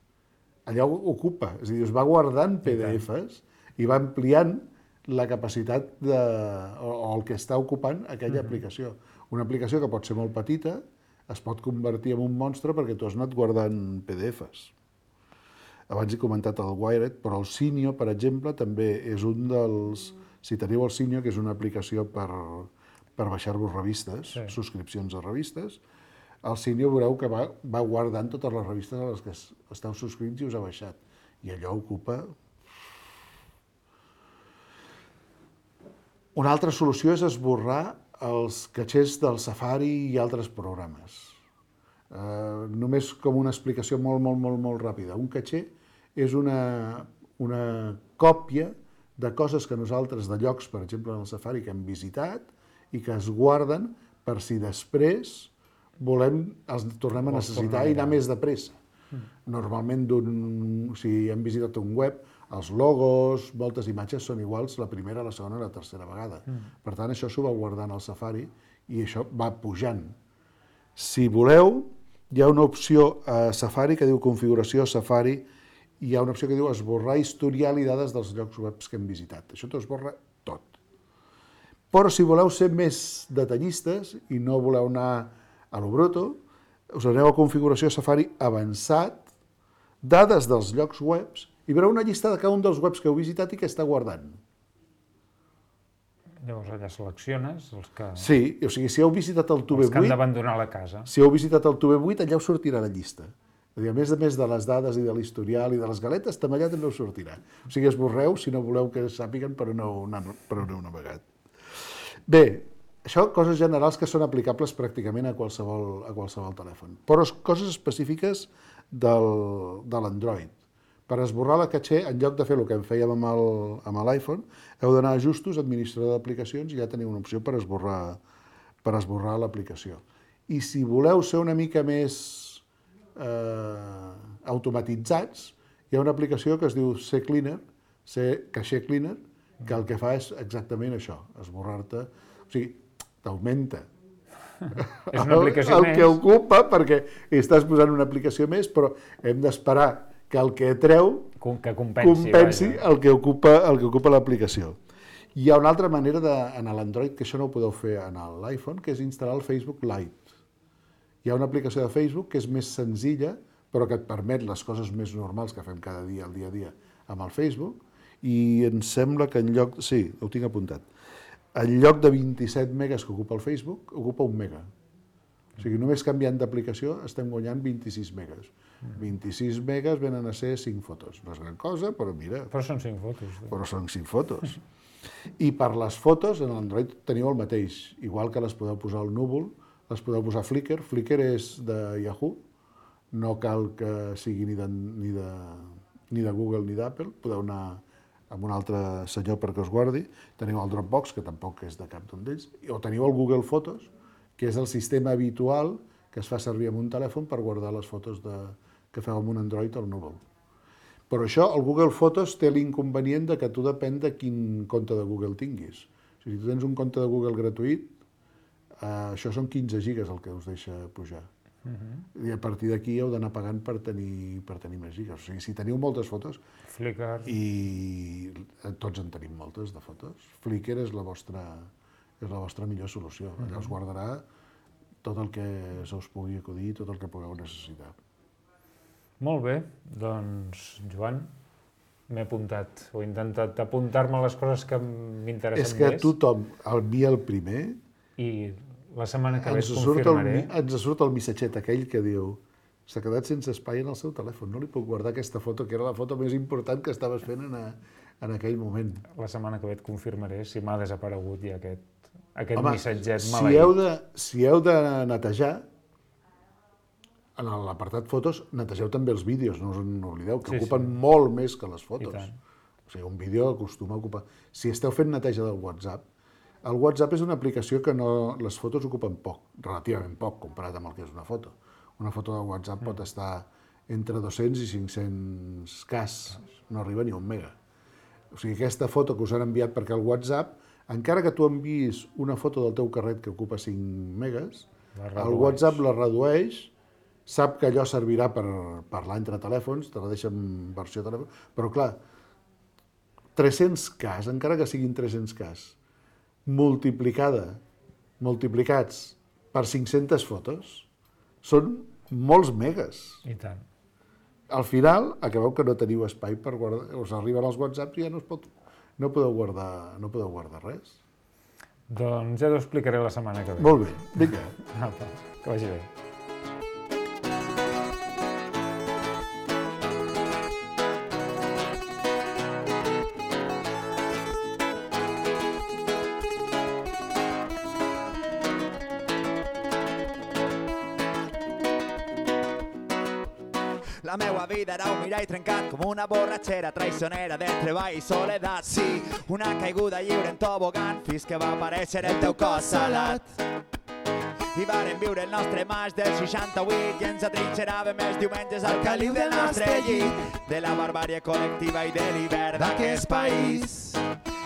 allò ocupa, és a dir, us va guardant PDFs i va ampliant la capacitat o el que està ocupant aquella aplicació. Una aplicació que pot ser molt petita es pot convertir en un monstre perquè tu has anat guardant PDFs. Abans he comentat el Wired, però el Cinio, per exemple, també és un dels... Si teniu el Cinio, que és una aplicació per baixar-vos revistes, subscripcions a revistes, el Cinio veureu que va guardant totes les revistes a les que esteu subscrits i us ha baixat. I allò ocupa... Una altra solució és esborrar els catxers del Safari i altres programes. Només com una explicació molt ràpida. Un catxer és una còpia de coses que nosaltres, de llocs, per exemple, en el Safari, que hem visitat i que es guarden per si després els tornem a necessitar i anar més de pressa. Normalment, si hem visitat un web, els logos, moltes imatges són iguals la primera, la segona i la tercera vegada. Per tant, això s'ho va guardant al Safari i això va pujant. Si voleu, hi ha una opció a Safari que diu configuració Safari i hi ha una opció que diu esborrar historial i dades dels llocs webs que hem visitat. Això t'ho esborra tot. Però si voleu ser més detallistes i no voleu anar a lo bruto, us aneu a configuració Safari avançat, dades dels llocs webs, i veureu una llista de cada un dels webs que heu visitat i que està guardant. Llavors allà selecciones els que... Sí, o sigui, si heu visitat el Tube 8... Els que han d'abandonar la casa. Si heu visitat el Tube 8, allà us sortirà la llista. A més de les dades i de l'historial i de les galetes, també allà també us sortirà. O sigui, esborreu si no voleu que sàpiguen per on heu navegat. Bé, això coses generals que són aplicables pràcticament a qualsevol telèfon. Però coses específiques de l'Android. Per esborrar la caché, en lloc de fer el que fèiem amb l'iPhone, heu d'anar a ajustos, administrador d'aplicacions, i ja teniu una opció per esborrar l'aplicació. I si voleu ser una mica més automatitzats, hi ha una aplicació que es diu CCleaner, Caché Cleaner, que el que fa és exactament això, esborrar-te, o sigui, t'augmenta És una aplicació el que ocupa, perquè estàs posant una aplicació més, però hem d'esperar que el que treu compensi el que ocupa l'aplicació. Hi ha una altra manera en l'Android, que això no ho podeu fer en l'iPhone, que és instal·lar el Facebook Lite. Hi ha una aplicació de Facebook que és més senzilla, però que et permet les coses més normals que fem cada dia, al dia a dia, amb el Facebook, i em sembla que en lloc... Sí, ho tinc apuntat. En lloc de 27 megas que ocupa el Facebook, ocupa 1 mega. O sigui, només canviant d'aplicació estem guanyant 26 megas. 26 megas venen a ser 5 fotos. No és gran cosa, però mira... Però són 5 fotos. Però són 5 fotos. I per les fotos, en l'Android teniu el mateix. Igual que les podeu posar al núvol, les podeu posar a Flickr. Flickr és de Yahoo. No cal que sigui ni de Google ni d'Apple. Podeu anar amb un altre senyor perquè us guardi. Teniu el Dropbox, que tampoc és de cap d'un d'ells. O teniu el Google Fotos, que és el sistema habitual que es fa servir amb un telèfon per guardar les fotos que feu amb un Android al núvol. Però això, el Google Fotos té l'inconvenient que tu depèn de quin compte de Google tinguis. O sigui, si tu tens un compte de Google gratuït, això són 15 gigas el que us deixa pujar. I a partir d'aquí heu d'anar pagant per tenir més gigas. O sigui, si teniu moltes fotos, Flickr... i tots en tenim moltes de fotos, Flickr és la vostra millor solució. Allà us guardarà tot el que se us pugui acudir, tot el que pugueu necessitar. Molt bé, doncs, Joan, m'he apuntat, o he intentat apuntar-me les coses que m'interessen més. És que tothom, el mi el primer... I la setmana que ve et confirmaré... Ens surt el missatget aquell que diu s'ha quedat sense espai en el seu telèfon, no li puc guardar aquesta foto, que era la foto més important que estaves fent en aquell moment. La setmana que ve et confirmaré si m'ha desaparegut ja aquest missatget maleït. maleït. Si heu de netejar, en l'apartat fotos, netegeu també els vídeos, no us n'oblideu, que ocupen molt més que les fotos. O sigui, un vídeo acostuma a ocupar... Si esteu fent neteja del WhatsApp, el WhatsApp és una aplicació que les fotos ocupen poc, relativament poc, comparat amb el que és una foto. Una foto de WhatsApp pot estar entre 200 i 500 cas, no arriba ni a 1 mega. O sigui, aquesta foto que us han enviat perquè el WhatsApp, encara que tu enviïs una foto del teu carret que ocupa 5 megas, el WhatsApp la redueix, sap que allò servirà per parlar entre telèfons, te la deixa en versió telèfon, però clar, 300 cas, encara que siguin 300 cas, multiplicats per 500 fotos, són molts megas. I tant. Al final, acabeu que no teniu espai per guardar, us arriben els WhatsApps i ja no podeu guardar res. Doncs ja t'ho explicaré la setmana que ve. Molt bé, vinga. Apa, que vagi bé. La meua vida era un mirall trencat com una borratxera traicionera de treball i soledat. Sí, una caiguda lliure en tobogan fins que va aparèixer el teu cos salat. I vàrem viure el nostre maig del 68 i ens atrinxeràvem els diumenges al caliu del nostre llit, de la barbàrie col·lectiva i de l'hivern d'aquest país.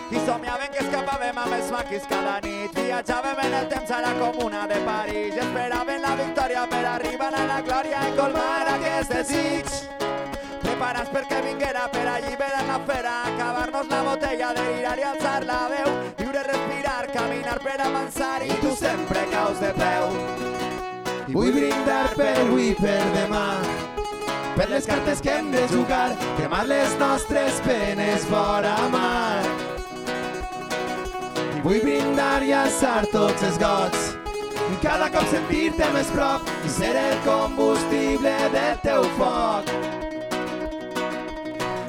I somiàvem que escapàvem amb els maquis cada nit, viatjàvem en el temps a la comuna de París i esperàvem la victòria per arribar a la glòria i colmar aquest desig. Preparats perquè vinguera per alliberar la fera, acabar-nos la botella, delirar i alçar la veu, viure, respirar, caminar per avançar i tu sempre caus de peu. I vull brindar per avui, per demà, per les cartes que hem de jugar, cremar les nostres penes fora mar. I vull brindar i alçar tots els gots, i cada cop sentir-te més prop i ser el combustible del teu foc.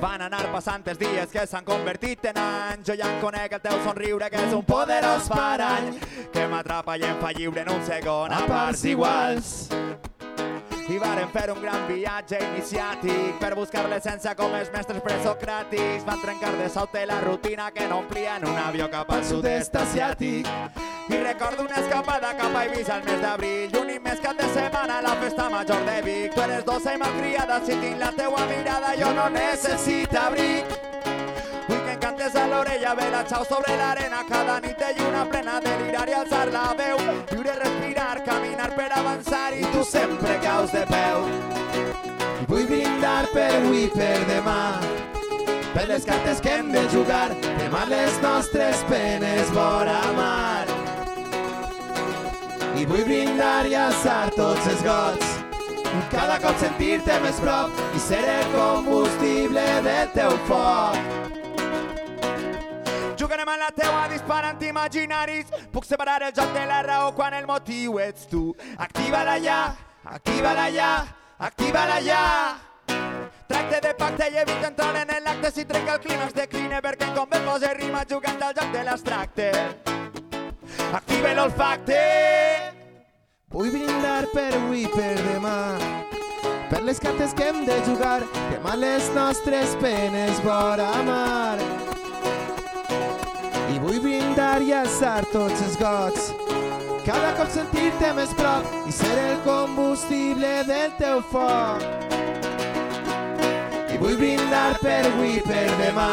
Van anar passant els dies que s'han convertit en anys, jo ja en conec el teu somriure que és un poderós parany que m'atrapa i em fa lliure en un segon a parts iguals. I vàrem fer un gran viatge iniciàtic per buscar l'essència com els mestres presocràtics. Van trencar de sobte la rutina que no omplia en un avió cap al sud-est asiàtic. I recordo una escapada cap a Eivissa al mes d'abril i un immens cap de setmana a la festa major de Vic. Tu eres dolça i malcriada, si tinc la teua mirada jo no necessito abric. Vull que em cantes a l'orella, vela xau sobre l'arena, cada nit de lluna plena, delirar i alçar la veu, viure, respirar, caminar per avançar i tu sempre caus de peu. I vull brindar per avui, per demà, per les cartes que hem de jugar, cremar les nostres penes vora mar. I vull brindar i alçar tots els gots, cada cop sentir-te més prop i ser el combustible del teu foc. Jugarem a la teua disparant imaginaris, puc separar el joc de la raó quan el motiu ets tu. Activa-la ja, activa-la ja, activa-la ja. Tracte de pacte i evita entrar en l'acte, si trenca el clímax decline perquè em convé posa rima jugant al joc de l'abstracte. Active l'olfacte. Vull brindar per avui, per demà, per les cartes que hem de jugar, cremar les nostres penes vora mar. I vull brindar i alçar tots els gots, cada cop sentir-te més prop i ser el combustible del teu foc. I vull brindar per avui, per demà,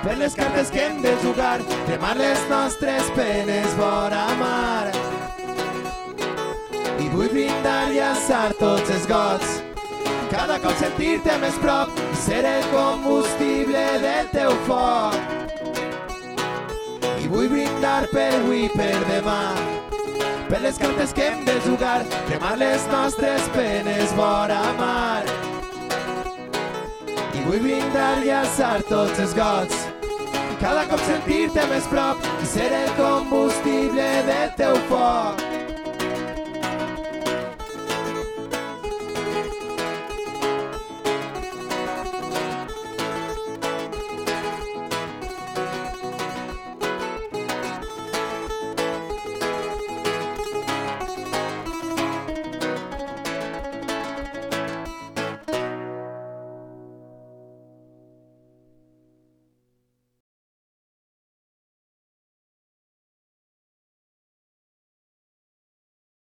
per les cartes que hem de jugar, cremar les nostres penes vora mar. I vull brindar i alçar tots els gots, cada cop sentir-te més prop i ser el combustible del teu foc. I vull brindar per avui, per demà, per les cartes que hem de jugar, cremar les nostres penes vora mar. I vull brindar i alçar tots els gots, cada cop sentir-te més prop i ser el combustible del teu foc.